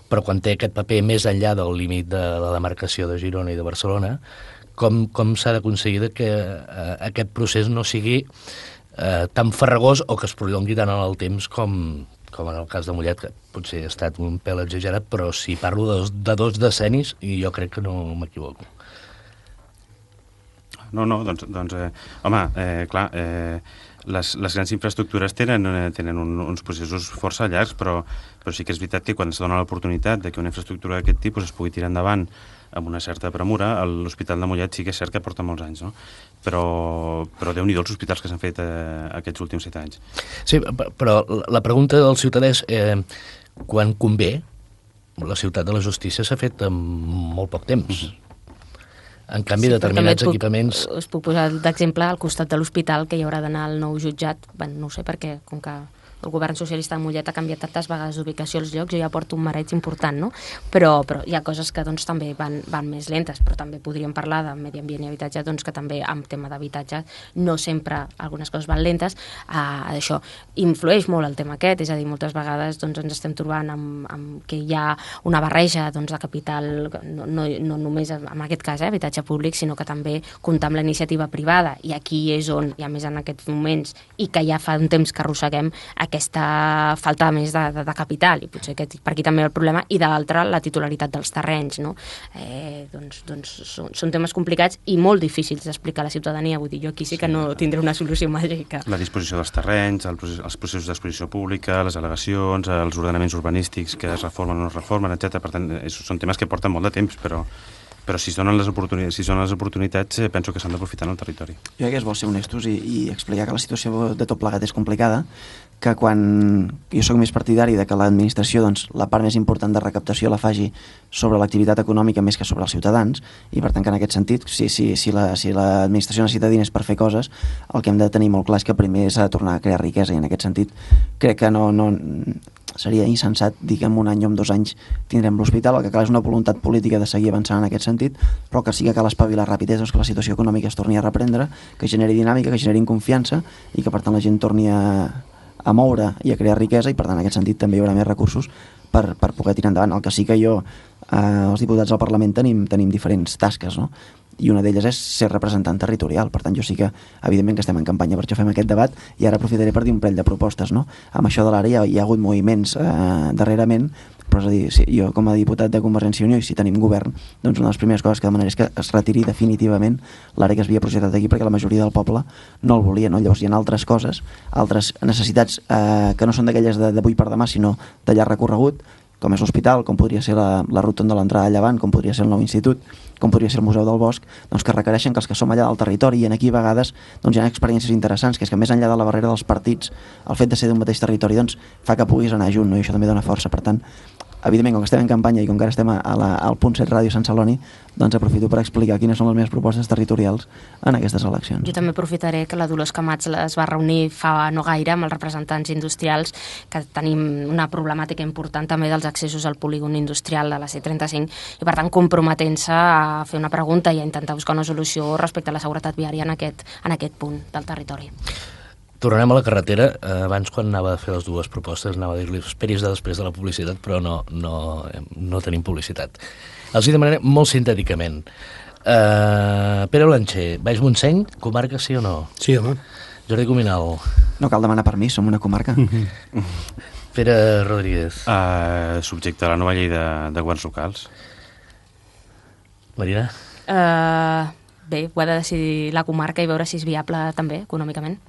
B: però quan té aquest paper més enllà del límit de la demarcació de Girona i de Barcelona, com s'ha d'aconseguir que aquest procés no sigui tan farragós o que es prolongui tant en el temps com en el cas de Mollet, que potser ha estat un pèl exagerat, però si parlo de 2 decennis, i jo crec que no m'equivoco.
D: No, doncs home, clar, les grans infraestructures tenen uns processos força llargs, però sí que és veritat que quan es dona l'oportunitat de que una infraestructura d'aquest tipus es pugui tirar endavant amb una certa premura, l'Hospital de Mollet sí que és cert que porta molts anys, no? Però Déu-n'hi-do els hospitals que s'han fet aquests últims 7 anys.
B: Sí, però la pregunta del ciutadà és quan convé, la ciutat de la justícia s'ha fet en molt poc temps. En canvi, determinats equipaments...
F: Us puc posar d'exemple al costat de l'hospital, que hi haurà d'anar al nou jutjat. No ho sé perquè, com que el govern socialista de Mollet ha canviat tantes vegades d'ubicació als llocs, jo ja porto un mareig important, no? Però hi ha coses que doncs, també van més lentes, però també podríem parlar de medi ambient i habitatge, doncs, que també en tema d'habitatge no sempre algunes coses van lentes. Això influeix molt el tema aquest, és a dir, moltes vegades doncs, ens estem trobant amb que hi ha una barreja doncs, de capital, no només en aquest cas habitatge públic, sinó que també comptar amb la iniciativa privada, i aquí és on, i a més en aquests moments, i que ja fa un temps que arrosseguem, aquesta falta més de capital, i potser per aquí també el problema, i de l'altra la titularitat dels terrenys, no? Doncs són temes complicats i molt difícils d'explicar a la ciutadania, vull dir, jo aquí sí que no tindré una solució màgica.
D: La disposició dels terrenys, els processos d'exposició pública, les al·legacions, els ordenaments urbanístics que es reformen o no es reformen, etc. Per tant, són temes que porten molt de temps, però si són les oportunitats, penso que s'han d'aprofitar en el territori.
C: Jo crec que és bo ser honestos i explicar que la situació de tot plegat és complicada, que quan jo soc més partidari de que l'administració, doncs, la part més important de recaptació la faci sobre l'activitat econòmica més que sobre els ciutadans, i per tant que en aquest sentit, si l'administració necessita diners per fer coses, el que hem de tenir molt clar és que primer s'ha de tornar a crear riquesa, i en aquest sentit crec que no seria insensat dir que en un any o en 2 anys tindrem l'hospital. El que cal és una voluntat política de seguir avançant en aquest sentit, però que sí que cal espavilar ràpid, que la situació econòmica es torni a reprendre, que generi dinàmica, que generi confiança, i que per tant la gent torni a moure i a crear riquesa, i per tant en aquest sentit també hi haurà més recursos per poder tirar endavant. El que sí que els diputats al Parlament tenim diferents tasques, no? I una d'elles és ser representant territorial. Per tant, jo sí que, evidentment, que estem en campanya, per això fem aquest debat, i ara aprofitaré per dir un parell de propostes, no? Amb això de l'àrea hi ha hagut moviments darrerament, però és a dir, si jo com a diputat de Convergència i Unió, i si tenim govern, doncs una de les primeres coses que demanaré és que es retiri definitivament l'àrea que es havia projectat aquí, perquè la majoria del poble no el volia, no? Llavors hi ha altres coses, altres necessitats que no són d'aquelles d'avui per demà, sinó de llarg recorregut, com és l'hospital, com podria ser la rotonda de l'entrada a Llevant, com podria ser el nou institut, com podria ser el Museu del Bosc, doncs que requereixen que els que som allà del territori, i aquí a vegades doncs, hi ha experiències interessants, que és que més enllà de la barrera dels partits, el fet de ser d'un mateix territori doncs, fa que puguis anar junt, no? I això també dona força. Per tant, evidentment, com que estem en campanya i com que ara estem al Punt 7 Ràdio Sant Celoni, doncs aprofito per explicar quines són les meves propostes territorials en aquestes eleccions.
F: Jo també aprofitaré que la Dolors Camats es va reunir fa no gaire amb els representants industrials, que tenim una problemàtica important també dels accessos al polígon industrial de la C35, i per tant comprometent-se a fer una pregunta i a intentar buscar una solució respecte a la seguretat viària en aquest punt del territori.
B: Tornarem a la carretera. Abans, quan anava a fer les dues propostes, anava a dir-li esperis després de la publicitat, però no tenim publicitat. Els hi demanaré molt sintèticament. Pere Blancher, Baix Montseny, comarca sí o no?
E: Sí, home.
B: Jordi Cuminal.
C: No cal demanar permís, som una comarca.
B: Pere Rodríguez.
D: Subjecte a la nova llei de governs locals.
B: Marina?
F: Bé, ho ha de decidir la comarca i veure si és viable també, econòmicament.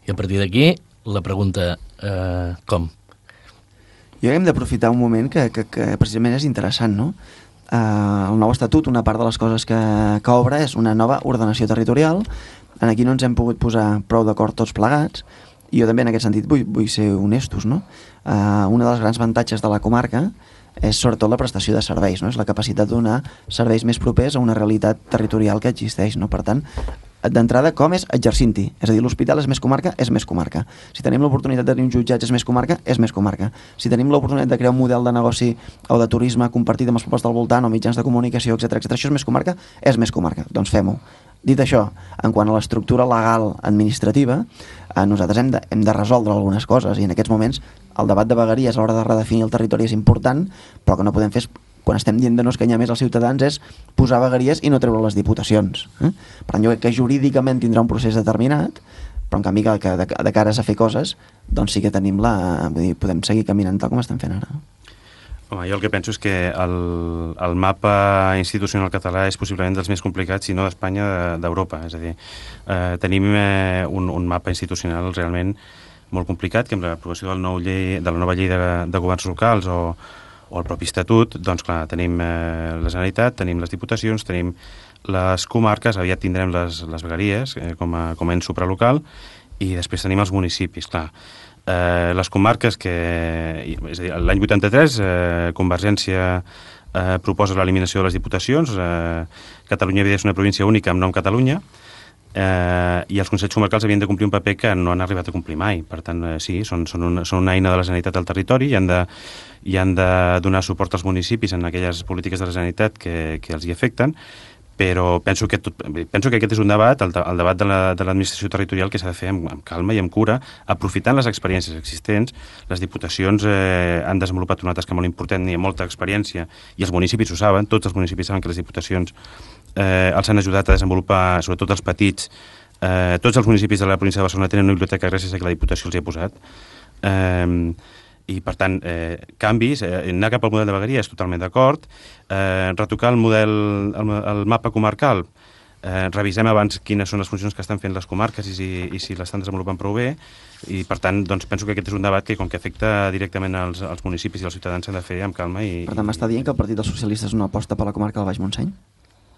B: I a partir d'aquí, la pregunta, com?
C: Jo crec que hem d'aprofitar un moment que precisament és interessant, no? El nou estatut, una part de les coses que obre és una nova ordenació territorial. Aquí no ens hem pogut posar prou d'acord tots plegats, I jo també en aquest sentit vull ser honestos, no? Una dels grans avantatges de la comarca és sobretot la prestació de serveis, no? És la capacitat de donar serveis més propers a una realitat territorial que existeix, no? Per tant, d'entrada, com és exercint-hi? És a dir, l'hospital és més comarca, és més comarca. Si tenim l'oportunitat de tenir un jutjat és més comarca, és més comarca. Si tenim l'oportunitat de crear un model de negoci o de turisme compartit amb els pobles del voltant o mitjans de comunicació, etc, això és més comarca, és més comarca. Doncs fem-ho. Dit això, en quant a l'estructura legal administrativa, nosaltres hem de resoldre algunes coses i en aquests moments el debat de vegueries a l'hora de redefinir el territori és important, però que no podem fer quan estem dient de no escanyar més als ciutadans és posar vegueries i no treure les diputacions. Per tant, jo crec que jurídicament tindrà un procés determinat, però en canvi que de cares a fer coses, doncs sí que tenim vull dir, podem seguir caminant tal com estem fent ara.
D: Home, jo el que penso és que el mapa institucional català és possiblement dels més complicats, si no d'Espanya, d'Europa. És a dir, tenim un mapa institucional realment molt complicat, que amb l'aprovació de la nova llei de governs locals o el propi estatut, doncs clar, tenim la Generalitat, tenim les diputacions, tenim les comarques, aviat tindrem les vegueries com a ens supralocal, i després tenim els municipis, clar. Les comarques que... És a dir, l'any 83 Convergència proposa l'eliminació de les diputacions, Catalunya havia de ser una província única amb nom Catalunya, i els consells comarcals havien de complir un paper que no han arribat a complir mai. Per tant, sí, són una eina de la Generalitat al territori i han de donar suport als municipis en aquelles polítiques de la Generalitat que els hi afecten, però penso que aquest és un debat, el debat de l'administració territorial, que s'ha de fer amb calma i amb cura, aprofitant les experiències existents. Les diputacions han desenvolupat una tasca molt important i amb molta experiència, i els municipis ho saben, tots els municipis saben que les diputacions els han ajudat a desenvolupar, sobretot els petits. Tots els municipis de la província de Barcelona tenen una biblioteca gràcies a que la Diputació els hi ha posat. I, per tant, canvis, anar cap al model de vegueria és totalment d'acord. Retocar el mapa comarcal, revisem abans quines són les funcions que estan fent les comarques i si l'estan desenvolupant prou bé, i, per tant, doncs, penso que aquest és un debat que, com que afecta directament als municipis i als ciutadans, s'han de fer amb calma.
C: Per tant, m'està dient que el Partit dels Socialistes no aposta per la comarca del Baix Montseny?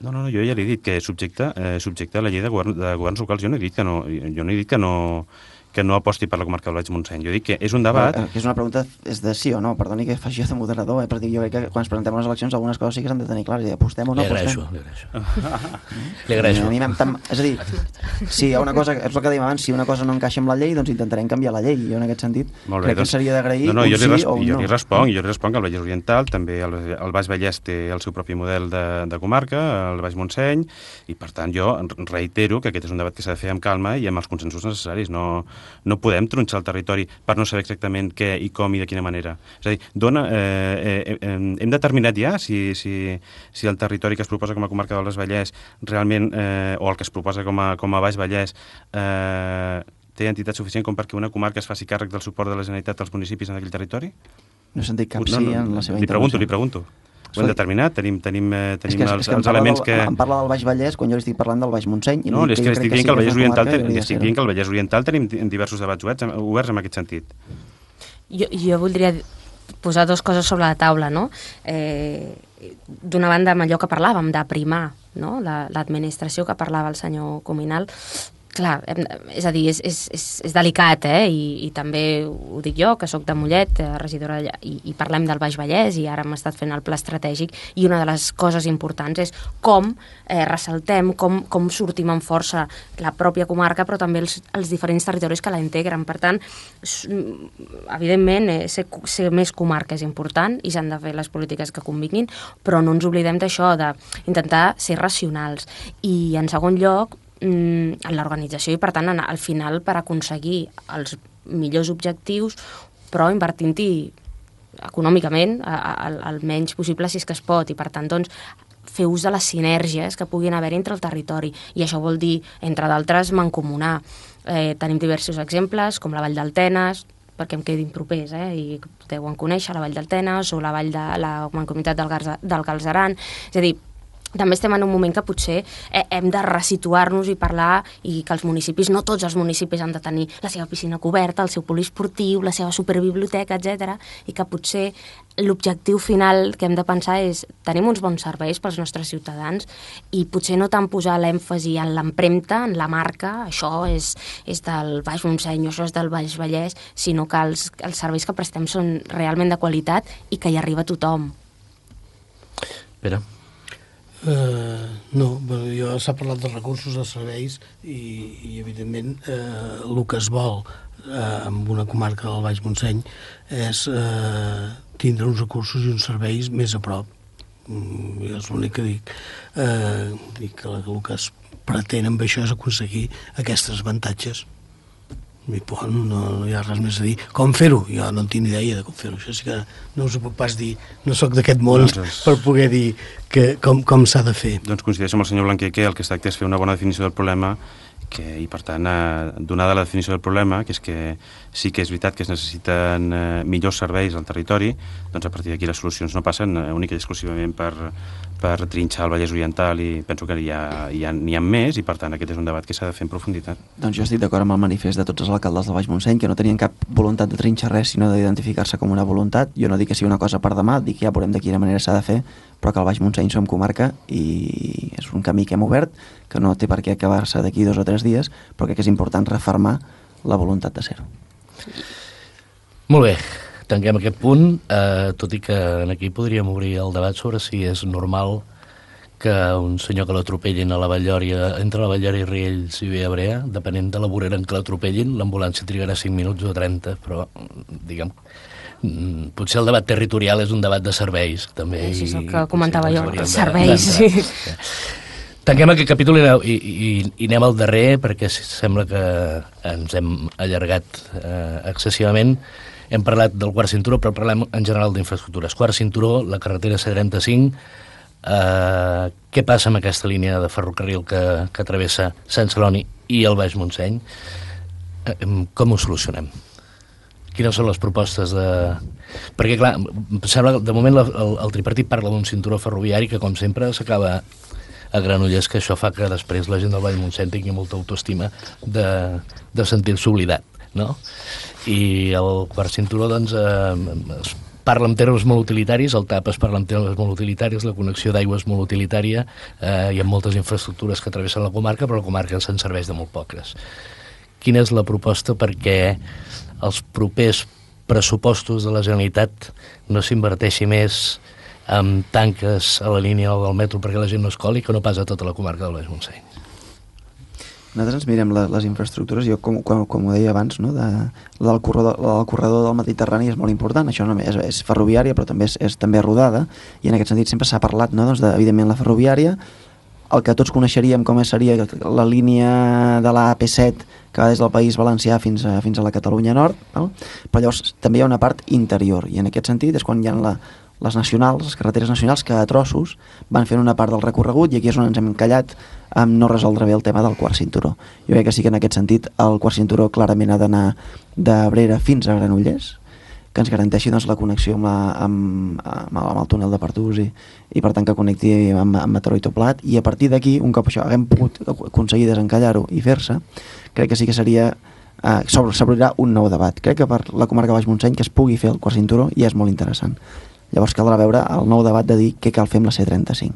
D: No, jo ja li he dit que subjecte a la llei de governs locals. Jo no he dit que no aposti per la comarca del Baix Montseny. Jo dic que és un debat...
C: Que és una pregunta, és de sí o no. Perdoni que faci jo de moderador, perquè jo crec que quan ens presentem a les eleccions algunes coses sí que s'han de tenir clares. Apostem o no apostem?
B: Li agraeixo.
C: És a dir, si hi ha una cosa, és el que dèiem abans, si una cosa no encaixa amb la llei, doncs intentarem canviar la llei. Jo en aquest sentit crec que seria d'agrair un sí o un no.
D: Jo li responc que el Vallès Oriental, també el Baix Vallès té el seu propi model de comarca, el Baix Montseny, i per tant jo reitero que aquest és un debat que s'ha de fer amb calma i amb els consensos necessaris. No podem tronxar el territori per no saber exactament què i com i de quina manera. És a dir, hem determinat ja si el territori que es proposa com a comarca del Baix Vallès realment, o el que es proposa com a Baix Vallès, té entitat suficient com perquè una comarca es faci càrrec del suport de la Generalitat als municipis en aquell territori?
C: No he sentit cap sí en la seva intervenció.
D: Li pregunto. Ho hem determinat, tenim els elements que...
C: Em parla del Baix Vallès quan jo li estic parlant del Baix Montseny.
D: No, és que li estic dient que el Vallès Oriental tenim diversos debats oberts en aquest sentit.
F: Jo voldria posar dues coses sobre la taula, no? D'una banda, amb allò que parlàvem, d'aprimar, no? L'administració que parlava el senyor Cuminal. Clar, és a dir, és delicat, i també ho dic jo, que sóc de Mollet, regidora allà, i parlem del Baix Vallès, i ara hem estat fent el pla estratègic, i una de les coses importants és com ressaltem, com sortim amb força la pròpia comarca, però també els diferents territoris que la integren. Per tant, evidentment, ser més comarca és important, i s'han de fer les polítiques que convinguin, però no ens oblidem d'això, d'intentar ser racionals. I, en segon lloc, en l'organització i, per tant, al final, per aconseguir els millors objectius, però invertint-hi econòmicament el menys possible si és que es pot, i, per tant, doncs, fer ús de les sinergies que puguin haver entre el territori, i això vol dir, entre d'altres, mancomunar. Tenim diversos exemples, com la Vall d'Altenes, perquè em quedin propers, i deuen conèixer la Vall d'Altenes o la Vall de la Mancomunitat del Galceran. És a dir, també estem en un moment que potser hem de resituar-nos i parlar, i que els municipis, no tots els municipis han de tenir la seva piscina coberta, el seu poliesportiu, la seva superbiblioteca, etc. I que potser l'objectiu final que hem de pensar és tenim uns bons serveis pels nostres ciutadans i potser no tant posar l'èmfasi en l'empremta, en la marca, això és del Baix Montseny, això és del Baix Vallès, sinó que els serveis que prestem són realment de qualitat i que hi arriba a tothom.
B: Pere?
E: No, s'ha parlat de recursos, de serveis i evidentment el que es vol amb una comarca del Baix Montseny és tindre uns recursos i uns serveis més a prop. És l'únic que dic. Dic que el que es pretén amb això és aconseguir aquests avantatges. I no hi ha res més a dir. Com fer-ho? Jo no en tinc idea de com fer-ho. Això sí que no us ho puc pas dir. No sóc d'aquest món per poder dir com s'ha de fer.
D: Doncs coincideixo amb el senyor Blanquer que el que es tracta és fer una bona definició del problema i, per tant, donada la definició del problema, que és que sí que és veritat que es necessiten millors serveis al territori, doncs a partir d'aquí les solucions no passen únicament i exclusivament per trinxar el Vallès Oriental, i penso que n'hi ha més, i per tant aquest és un debat que s'ha de fer en profunditat.
C: Doncs jo estic d'acord amb el manifest de tots els alcaldes del Baix Montseny, que no tenien cap voluntat de trinxar res, sinó d'identificar-se com una voluntat. Jo no dic que sigui una cosa per demà, dic que ja veurem de quina manera s'ha de fer, però que el Baix Montseny som comarca i és un camí que hem obert, que no té per què acabar-se d'aquí 2 o 3 dies, però crec que és important refermar la voluntat de ser-ho.
B: Molt bé, tanquem aquest punt, tot i que aquí podríem obrir el debat sobre si és normal que un senyor que l'atropellin a la Vall-lloria, entre la Vall-lloria i Riells i Viabrea, depenent de la vorera en què l'atropellin, l'ambulància trigarà 5 minuts o 30, però diguem, potser el debat territorial és un debat de serveis, també.
F: Sí, és el que comentava jo, serveis, sí.
B: Tanquem aquest capítol i anem al darrer, perquè sembla que ens hem allargat excessivament. Hem parlat del quart cinturó, però parlem en general d'infraestructures. Quart cinturó, la carretera C35, què passa amb aquesta línia de ferrocarril que travessa Sant Celoni i el Baix Montseny? Com ho solucionem? Quines són les propostes de... Perquè, clar, sembla que de moment el tripartit parla d'un cinturó ferroviari que, com sempre, s'acaba a Granollers, que això fa que després la gent del Baix Montseny tingui molta autoestima de sentir-se oblidat, no? I el quart cinturó, doncs, es parla en termes molt utilitaris, el TAP es parla en termes molt utilitaris, la connexió d'aigua és molt utilitària, hi ha moltes infraestructures que travessen la comarca, però la comarca se'n serveix de molt poques. Quina és la proposta perquè els propers pressupostos de la Generalitat no s'inverteixi més amb tanques a la línia del metro perquè la gent no es coli, que no passa a tota la comarca del Baix Montseny?
C: Nosaltres ens mirem les infraestructures, jo com ho deia abans, no? El corredor del Mediterrani és molt important, això no és ferroviària però també és també rodada, i en aquest sentit sempre s'ha parlat, no? Doncs evidentment la ferroviària, el que tots coneixeríem com seria la línia de la AP7 que va des del País Valencià fins a la Catalunya Nord, val? Però llavors també hi ha una part interior, i en aquest sentit és quan hi ha les nacionals, les carreteres nacionals, que a trossos van fent una part del recorregut, i aquí és on ens hem encallat amb no resoldre bé el tema del quart cinturó. Jo crec que sí que en aquest sentit el quart cinturó clarament ha d'anar d'Abrera fins a Granollers, que ens garanteixi doncs, la connexió amb el túnel de Pertús i per tant que connecti amb Mataró i Toplat, i a partir d'aquí, un cop això haguem pogut aconseguir desencallar-ho i fer-se, crec que sí que seria s'obrirà un nou debat. Crec que per la comarca Baix Montseny que es pugui fer el quart cinturó ja és molt interessant. Llavors caldrà veure el nou debat de dir què cal fer amb la C35.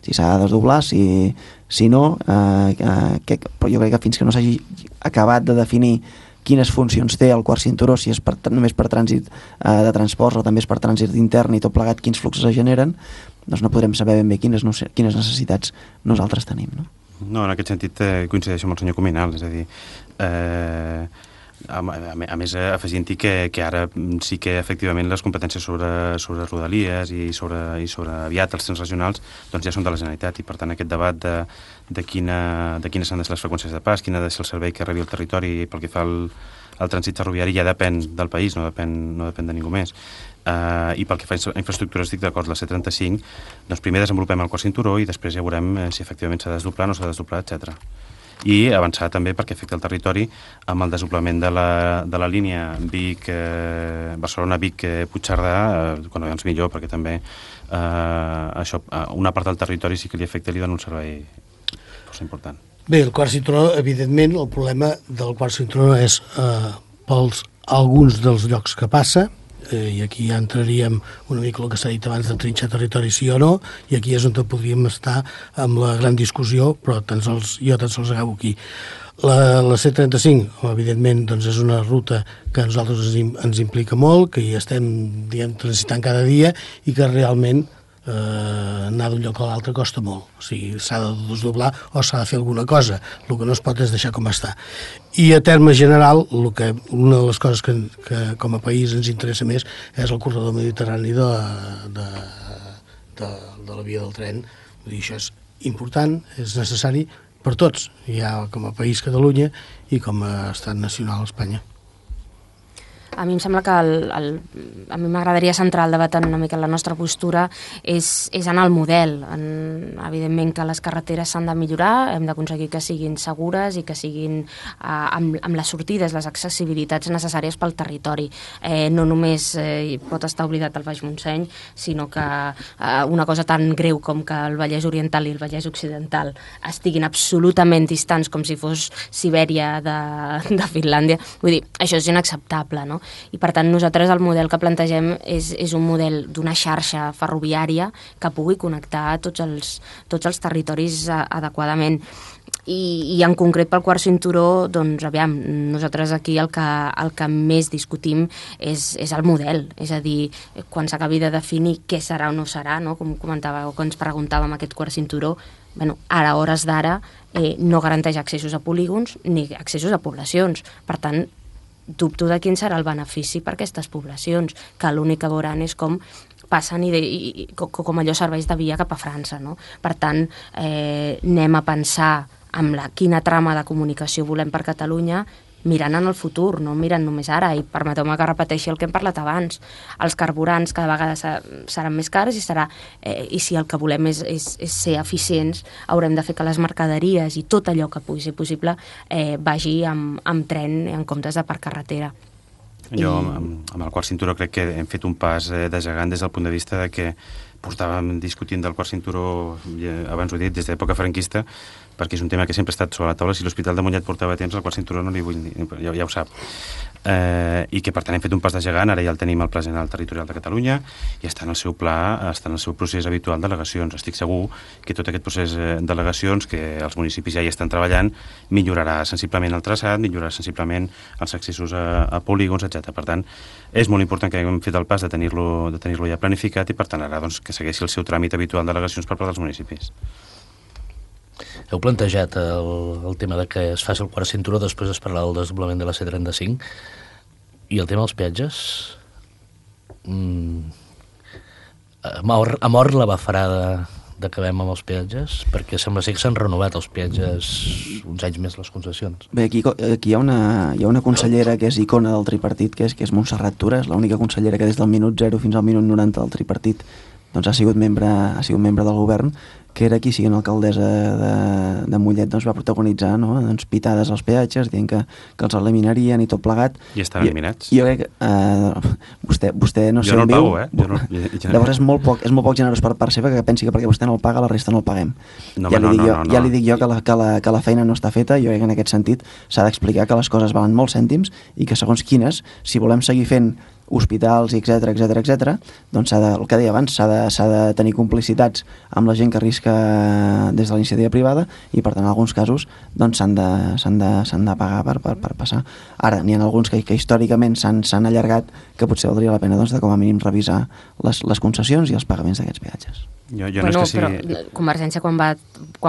C: Si s'ha de desdoblar, si no, però jo crec que fins que no s'hagi acabat de definir quines funcions té el quart cinturó, si és només per trànsit de transports o també és per trànsit intern i tot plegat, quins fluxos es generen, doncs no podrem saber ben bé quines necessitats nosaltres tenim.
D: No, en aquest sentit coincideixo amb el senyor Cuminal, és a dir, a més afegint-hi que ara sí que efectivament les competències sobre rodalies i sobre aviat els trens regionals doncs ja són de la Generalitat, i per tant aquest debat de quines han de ser les freqüències de pas, quin ha de ser el servei que rebi el territori pel que fa al trànsit ferroviari ja depèn del país, no depèn de ningú més. I pel que fa a infraestructures estic d'acord, la C35, doncs primer desenvolupem el quart cinturó i després ja veurem si efectivament s'ha de desdoblar o no s'ha de desdoblar, etc. i avançar també perquè afecta el territori amb el desdoblament de la línia Barcelona-Vic-Puigcerdà, quan abans millor, perquè també això, una part del territori sí que li afecta i li dona un servei força important.
E: Bé, el quart cinturó, evidentment, el problema del quart cinturó és pels alguns dels llocs que passa, i aquí ja entraríem una mica el que s'ha dit abans de trinxar territori sí o no, i aquí és on podríem estar amb la gran discussió, però jo tan sols acabo aquí. La C35, evidentment, doncs és una ruta que a nosaltres ens implica molt, que hi estem transitant cada dia i que realment anar d'un lloc a l'altre costa molt. O sigui, s'ha de desdoblar o s'ha de fer alguna cosa. El que no es pot és deixar com està. I a terme general, una de les coses que com a país ens interessa més és el corredor mediterrani de la via del tren. Vull dir, això és important, és necessari per tots, ja com a país Catalunya i com a estat nacional Espanya.
F: A mi em sembla que a mi m'agradaria centrar el debat en una mica en la nostra postura és en el model. Evidentment que les carreteres s'han de millorar, hem d'aconseguir que siguin segures i que siguin amb les sortides, les accessibilitats necessàries pel territori. No només pot estar oblidat el Baix Montseny, sinó que una cosa tan greu com que el Vallès Oriental i el Vallès Occidental estiguin absolutament distants com si fos Sibèria de Finlàndia. Vull dir, això és inacceptable, no? I per tant nosaltres el model que plantegem és un model d'una xarxa ferroviària que pugui connectar tots els territoris adequadament. I en concret pel quart cinturó, doncs aviam, nosaltres aquí el que més discutim és el model, és a dir, quan s'acabi de definir què serà o no serà, no? Com comentava o que ens preguntàvem aquest quart cinturó, ara, a hores d'ara, no garanteix accessos a polígons ni accessos a poblacions. Per tant, dubto de quin serà el benefici per aquestes poblacions, que l'únic que veuran és com passen i com allò serveix de via cap a França, no? Per tant, anem a pensar amb quina trama de comunicació volem per Catalunya, mirant en el futur, no mirant només ara, i permeteu-me que repeteixi el que hem parlat abans. Els carburants cada vegada seran més cars i si el que volem és ser eficients, haurem de fer que les mercaderies i tot allò que pugui ser possible vagi amb tren en comptes de per carretera.
D: Jo, amb el quart cinturó, crec que hem fet un pas de gegant des del punt de vista de que portàvem discutint del quart cinturó, abans ho he dit, des de l'època franquista, perquè és un tema que sempre ha estat sobre la taula. Si l'Hospital de Mollet portava temps, el quart cinturó no li vull dir, ja ho sap. I que per tant hem fet un pas de gegant, ara ja el tenim al Pla General Territorial de Catalunya i està en el seu pla, està en el seu procés habitual d'al·legacions. Estic segur que tot aquest procés d'al·legacions que els municipis ja hi estan treballant millorarà sensiblement el traçat, millorarà sensiblement els accessos a polígons, etc. Per tant, és molt important que haguem fet el pas de tenir-lo ja planificat i per tant ara doncs, que segueixi el seu tràmit habitual d'al·legacions per part dels municipis.
B: Heu plantejat el tema de que es faci el quart cinturó, després es parlarà del desdoblament de la C35, i el tema dels peatges? Ha mort la bafarada d'acabem amb els peatges? Perquè sembla ser que s'han renovat els peatges uns anys més les concessions.
C: Bé, aquí hi ha una consellera que és icona del tripartit, que és Montserrat Tura, és l'única consellera que des del minut 0 fins al minut 90 del tripartit doncs ha sigut membre del govern, que era qui, siguent alcaldessa de Mollet, doncs va protagonitzar, no? Doncs pitades als peatges, dient que els eliminarien i tot plegat.
D: I estan eliminats.
C: Jo crec que vostè no sé on viu.
D: Jo no el pago,
C: Llavors és molt poc generós per part seva que pensi que perquè vostè no el paga, la resta no el paguem.
D: No.
C: Ja li dic jo que la feina no està feta. Jo crec que en aquest sentit s'ha d'explicar que les coses valen molts cèntims i que segons quines, si volem seguir fent hospitals, etc, doncs el que deia abans, s'ha de tenir complicitats amb la gent que arrisca des de la iniciativa privada i per tant en alguns casos doncs s'han de pagar per passar. Ara, n'hi ha alguns que històricament s'han allargat, que potser valdria la pena doncs, de com a mínim revisar les concessions i els pagaments d'aquests peatges.
D: Jo no és que sigui...
F: Però Convergència quan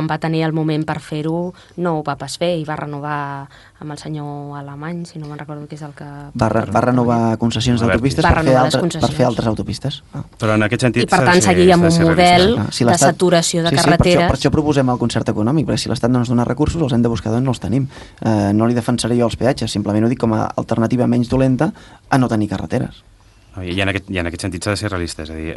F: va tenir el moment per fer-ho no ho va pas fer i va renovar amb el senyor Alemany, si no me'n recordo que és el que...
C: Va renovar concessions d'autopistes per fer altres autopistes.
D: Però en aquest sentit...
F: I per tant seguir amb un model de saturació de carreteres...
C: Per això proposem el concert econòmic, perquè si l'Estat no ens dona recursos els hem de buscar d'on no els tenim. No li defensaré jo els peatges, simplement ho dic com a alternativa menys dolenta a no tenir carreteres.
D: I en aquest sentit s'ha de ser realista, és a dir,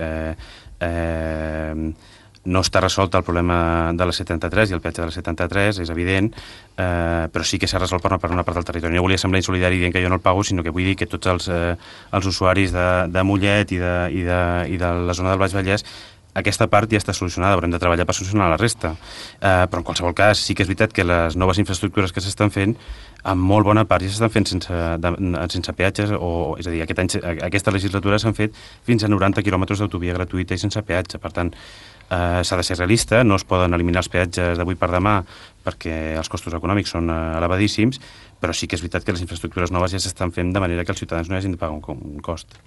D: No està resolt el problema de la 73 i el peatge de la 73, és evident, però sí que s'ha resolt per una part del territori. No volia semblar insolidari dient que jo no el pago, sinó que vull dir que tots els usuaris de Mollet i de la zona del Baix Vallès, aquesta part ja està solucionada, haurem de treballar per solucionar la resta. Però en qualsevol cas sí que és veritat que les noves infraestructures que s'estan fent, en molt bona part ja s'estan fent sense peatges, és a dir, aquesta legislatura s'han fet fins a 90 quilòmetres d'autovia gratuïta i sense peatge. Per tant, s'ha de ser realista, no es poden eliminar els peatges d'avui per demà perquè els costos econòmics són elevadíssims, però sí que és veritat que les infraestructures noves ja s'estan fent de manera que els ciutadans no hagin de pagar un cost.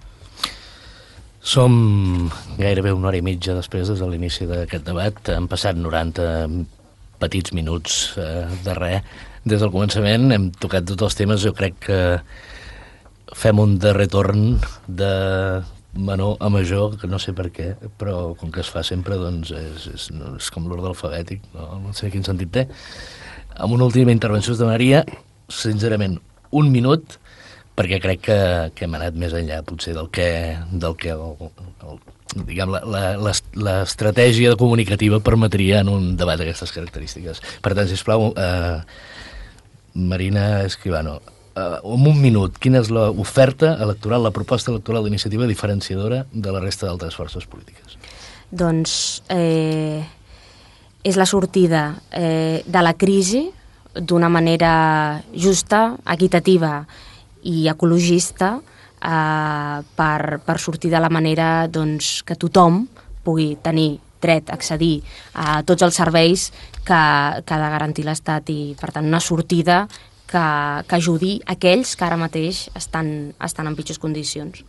B: Som gairebé una hora i mitja després de l'inici d'aquest debat. Han passat 90 petits minuts de res. Des del començament hem tocat tots els temes. Jo crec que fem un darrer torn de menor a major, que no sé per què, però com que es fa sempre, doncs és com l'ordre alfabètic, no sé quin sentit té. Amb una última intervenció us demanaria, sincerament, un minut, perquè crec que hem anat més enllà, potser, del que diguem, l'estratègia comunicativa permetria en un debat d'aquestes característiques. Per tant, sisplau, Marina Escribano, en un minut, quina és l'oferta electoral, la proposta electoral d'iniciativa diferenciadora de la resta d'altres forces polítiques?
F: Doncs és la sortida de la crisi d'una manera justa, equitativa i ecologista per sortir de la manera doncs, que tothom pugui tenir dret a accedir a tots els serveis que ha de garantir l'Estat i, per tant, una sortida que ajudi aquells que ara mateix estan en pitjors condicions.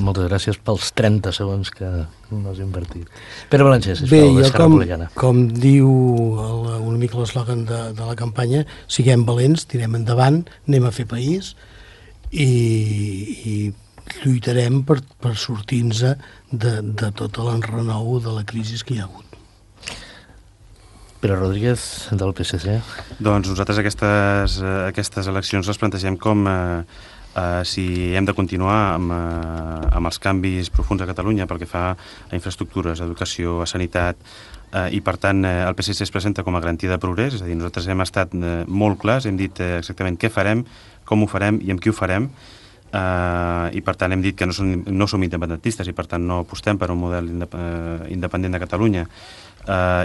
B: Moltes gràcies pels 30 segons que no has invertit. Pere Balancer, sisplau, d'Esquerra Republicana.
E: Com diu una mica l'eslògan de la campanya, siguem valents, tirem endavant, anem a fer país i lluitarem per sortir-nos de tot l'enrenou de la crisi que hi ha hagut.
B: Pere Rodríguez, del PSC.
D: Doncs nosaltres aquestes eleccions les plantegem com si hem de continuar amb els canvis profuns a Catalunya pel que fa a infraestructures, a educació, a sanitat, i per tant el PSC es presenta com a garantia de progrés, és a dir, nosaltres hem estat molt clars, hem dit exactament què farem, com ho farem i amb qui ho farem, i per tant hem dit que no som independentistes i per tant no apostem per un model independent de Catalunya,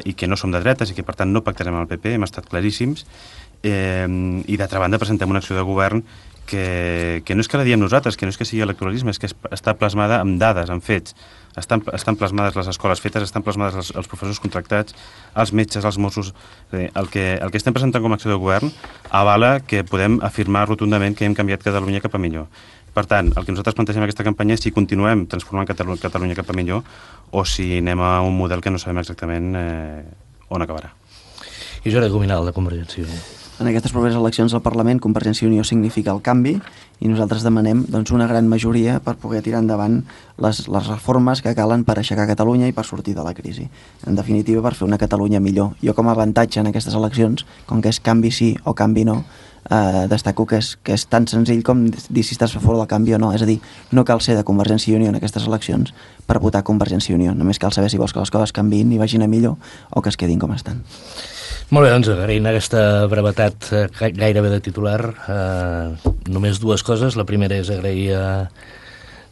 D: i que no som de dretes i que per tant no pactarem amb el PP, hem estat claríssims, i d'altra banda presentem una acció de govern que no és que la diem nosaltres, que no és que sigui electoralisme, és que està plasmada amb dades, amb fets. Estan plasmades les escoles fetes, estan plasmades els professors contractats, els metges, els Mossos. El que estem presentant com a acció de govern avala que podem afirmar rotundament que hem canviat Catalunya cap a millor. Per tant, el que nosaltres plantegem en aquesta campanya és si continuem transformant Catalunya cap a millor o si anem a un model que no sabem exactament on acabarà.
B: I Jordi Cuminal, de Convergència i Unió.
C: En aquestes properes eleccions al Parlament, Convergència i Unió significa el canvi i nosaltres demanem una gran majoria per poder tirar endavant les reformes que calen per aixecar Catalunya i per sortir de la crisi. En definitiva, per fer una Catalunya millor. Jo com a avantatge en aquestes eleccions, com que és canvi sí o canvi no, destaco que és tan senzill com dir si estàs a favor del canvi o no. És a dir, no cal ser de Convergència i Unió en aquestes eleccions per votar Convergència i Unió. Només cal saber si vols que les coses canviïn i vagin a millor o que es quedin com estan.
B: Molt bé, doncs agraint aquesta brevetat gairebé de titular, només dues coses. La primera és agrair a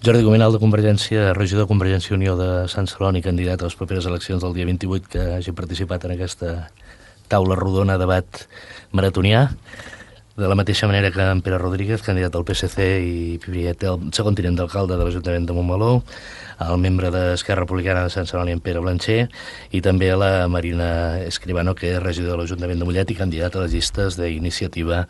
B: Jordi Cuminal de Convergència, regidor de Convergència i Unió de Sant Celoni, candidat a les properes eleccions del dia 28, que hagi participat en aquesta taula rodona, debat maratonià. De la mateixa manera que en Pere Rodríguez, candidat al PSC i el segon tinent d'alcalde de l'Ajuntament de Montmeló, el membre d'Esquerra Republicana de Sant Celoni, en Pere Blancher, i també a la Marina Escribano, que és regidor de l'Ajuntament de Mollet i candidat a les llistes d'Iniciativa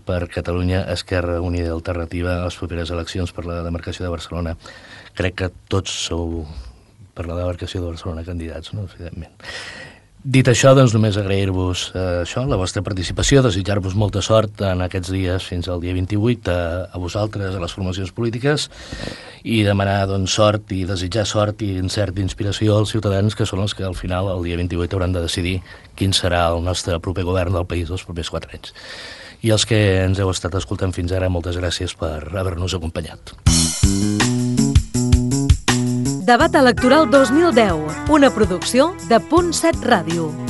B: per Catalunya, Esquerra Unida i Alternativa a les properes eleccions per la demarcació de Barcelona. Crec que tots sou per la demarcació de Barcelona candidats, no? Evidentment. Dit això, doncs només agrair-vos la vostra participació, desitjar-vos molta sort en aquests dies fins al dia 28 a vosaltres, a les formacions polítiques, i demanar sort i desitjar sort i encert d'inspiració als ciutadans, que són els que al final, el dia 28, hauran de decidir quin serà el nostre proper govern del país dels propers 4 anys. I els que ens heu estat escoltant fins ara, moltes gràcies per haver-nos acompanyat.
A: Debat Electoral 2010, una producció de Punt 7 Ràdio.